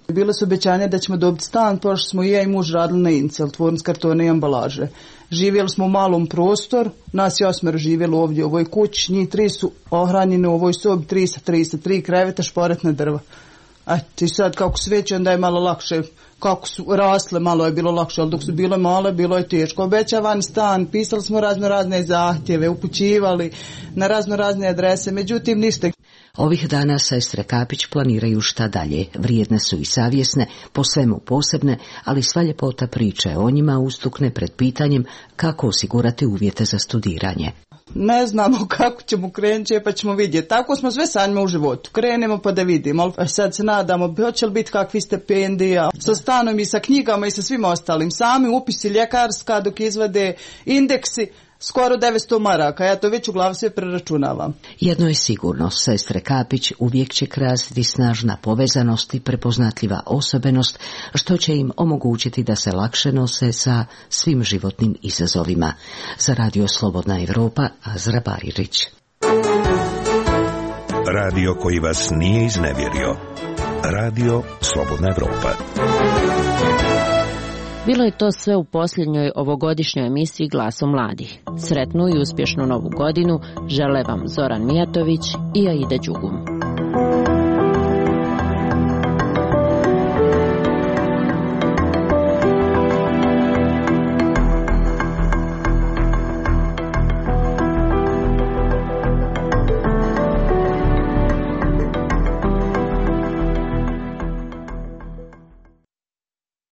Bile su obećanja da ćemo dobiti stan, pošto smo i ja i muž radili na Incel, tvornici kartona i ambalaže. Živjeli smo u malom prostoru, nas je osmero živjelo ovdje u ovoj kući, njih tri su ohranjene u ovoj sobi, tri sa tri sa tri kreveta, šporetna drva. Eto, i sad kako su veće, onda je malo lakše, kako su rasle, malo je bilo lakše, ali dok su bile male, bilo je teško. Obećavan stan, pisali smo razno razne zahtjeve, upućivali na razno razne adrese, međutim ništa. Ovih dana sestre Kapić planiraju šta dalje. Vrijedne su i savjesne, po svemu posebne, ali sva ljepota priče o njima ustukne pred pitanjem kako osigurati uvjete za studiranje. Ne znamo kako ćemo krenuti, pa ćemo vidjeti. Tako smo sve sanjima u životu. Krenemo pa da vidimo. Ali sad se nadamo, hoće li biti kakvi stipendija sa stanom i sa knjigama i sa svim ostalim. Sami upisi ljekarska dok izvade indeksi, skoro devetsto maraka, ja to već u glavu sve preračunavam. Jedno je sigurno, sestre Kapić uvijek će krasiti snažna povezanost i prepoznatljiva osobenost, što će im omogućiti da se lakše nose sa svim životnim izazovima. Za Radio Slobodna Evropa, Azra Baririć. Radio koji vas nije iznevjerio. Radio Slobodna Evropa. Bilo je to sve u posljednjoj ovogodišnjoj emisiji Glasom mladih. Sretnu i uspješnu novu godinu žele vam Zoran Mijatović i Aida Đugum.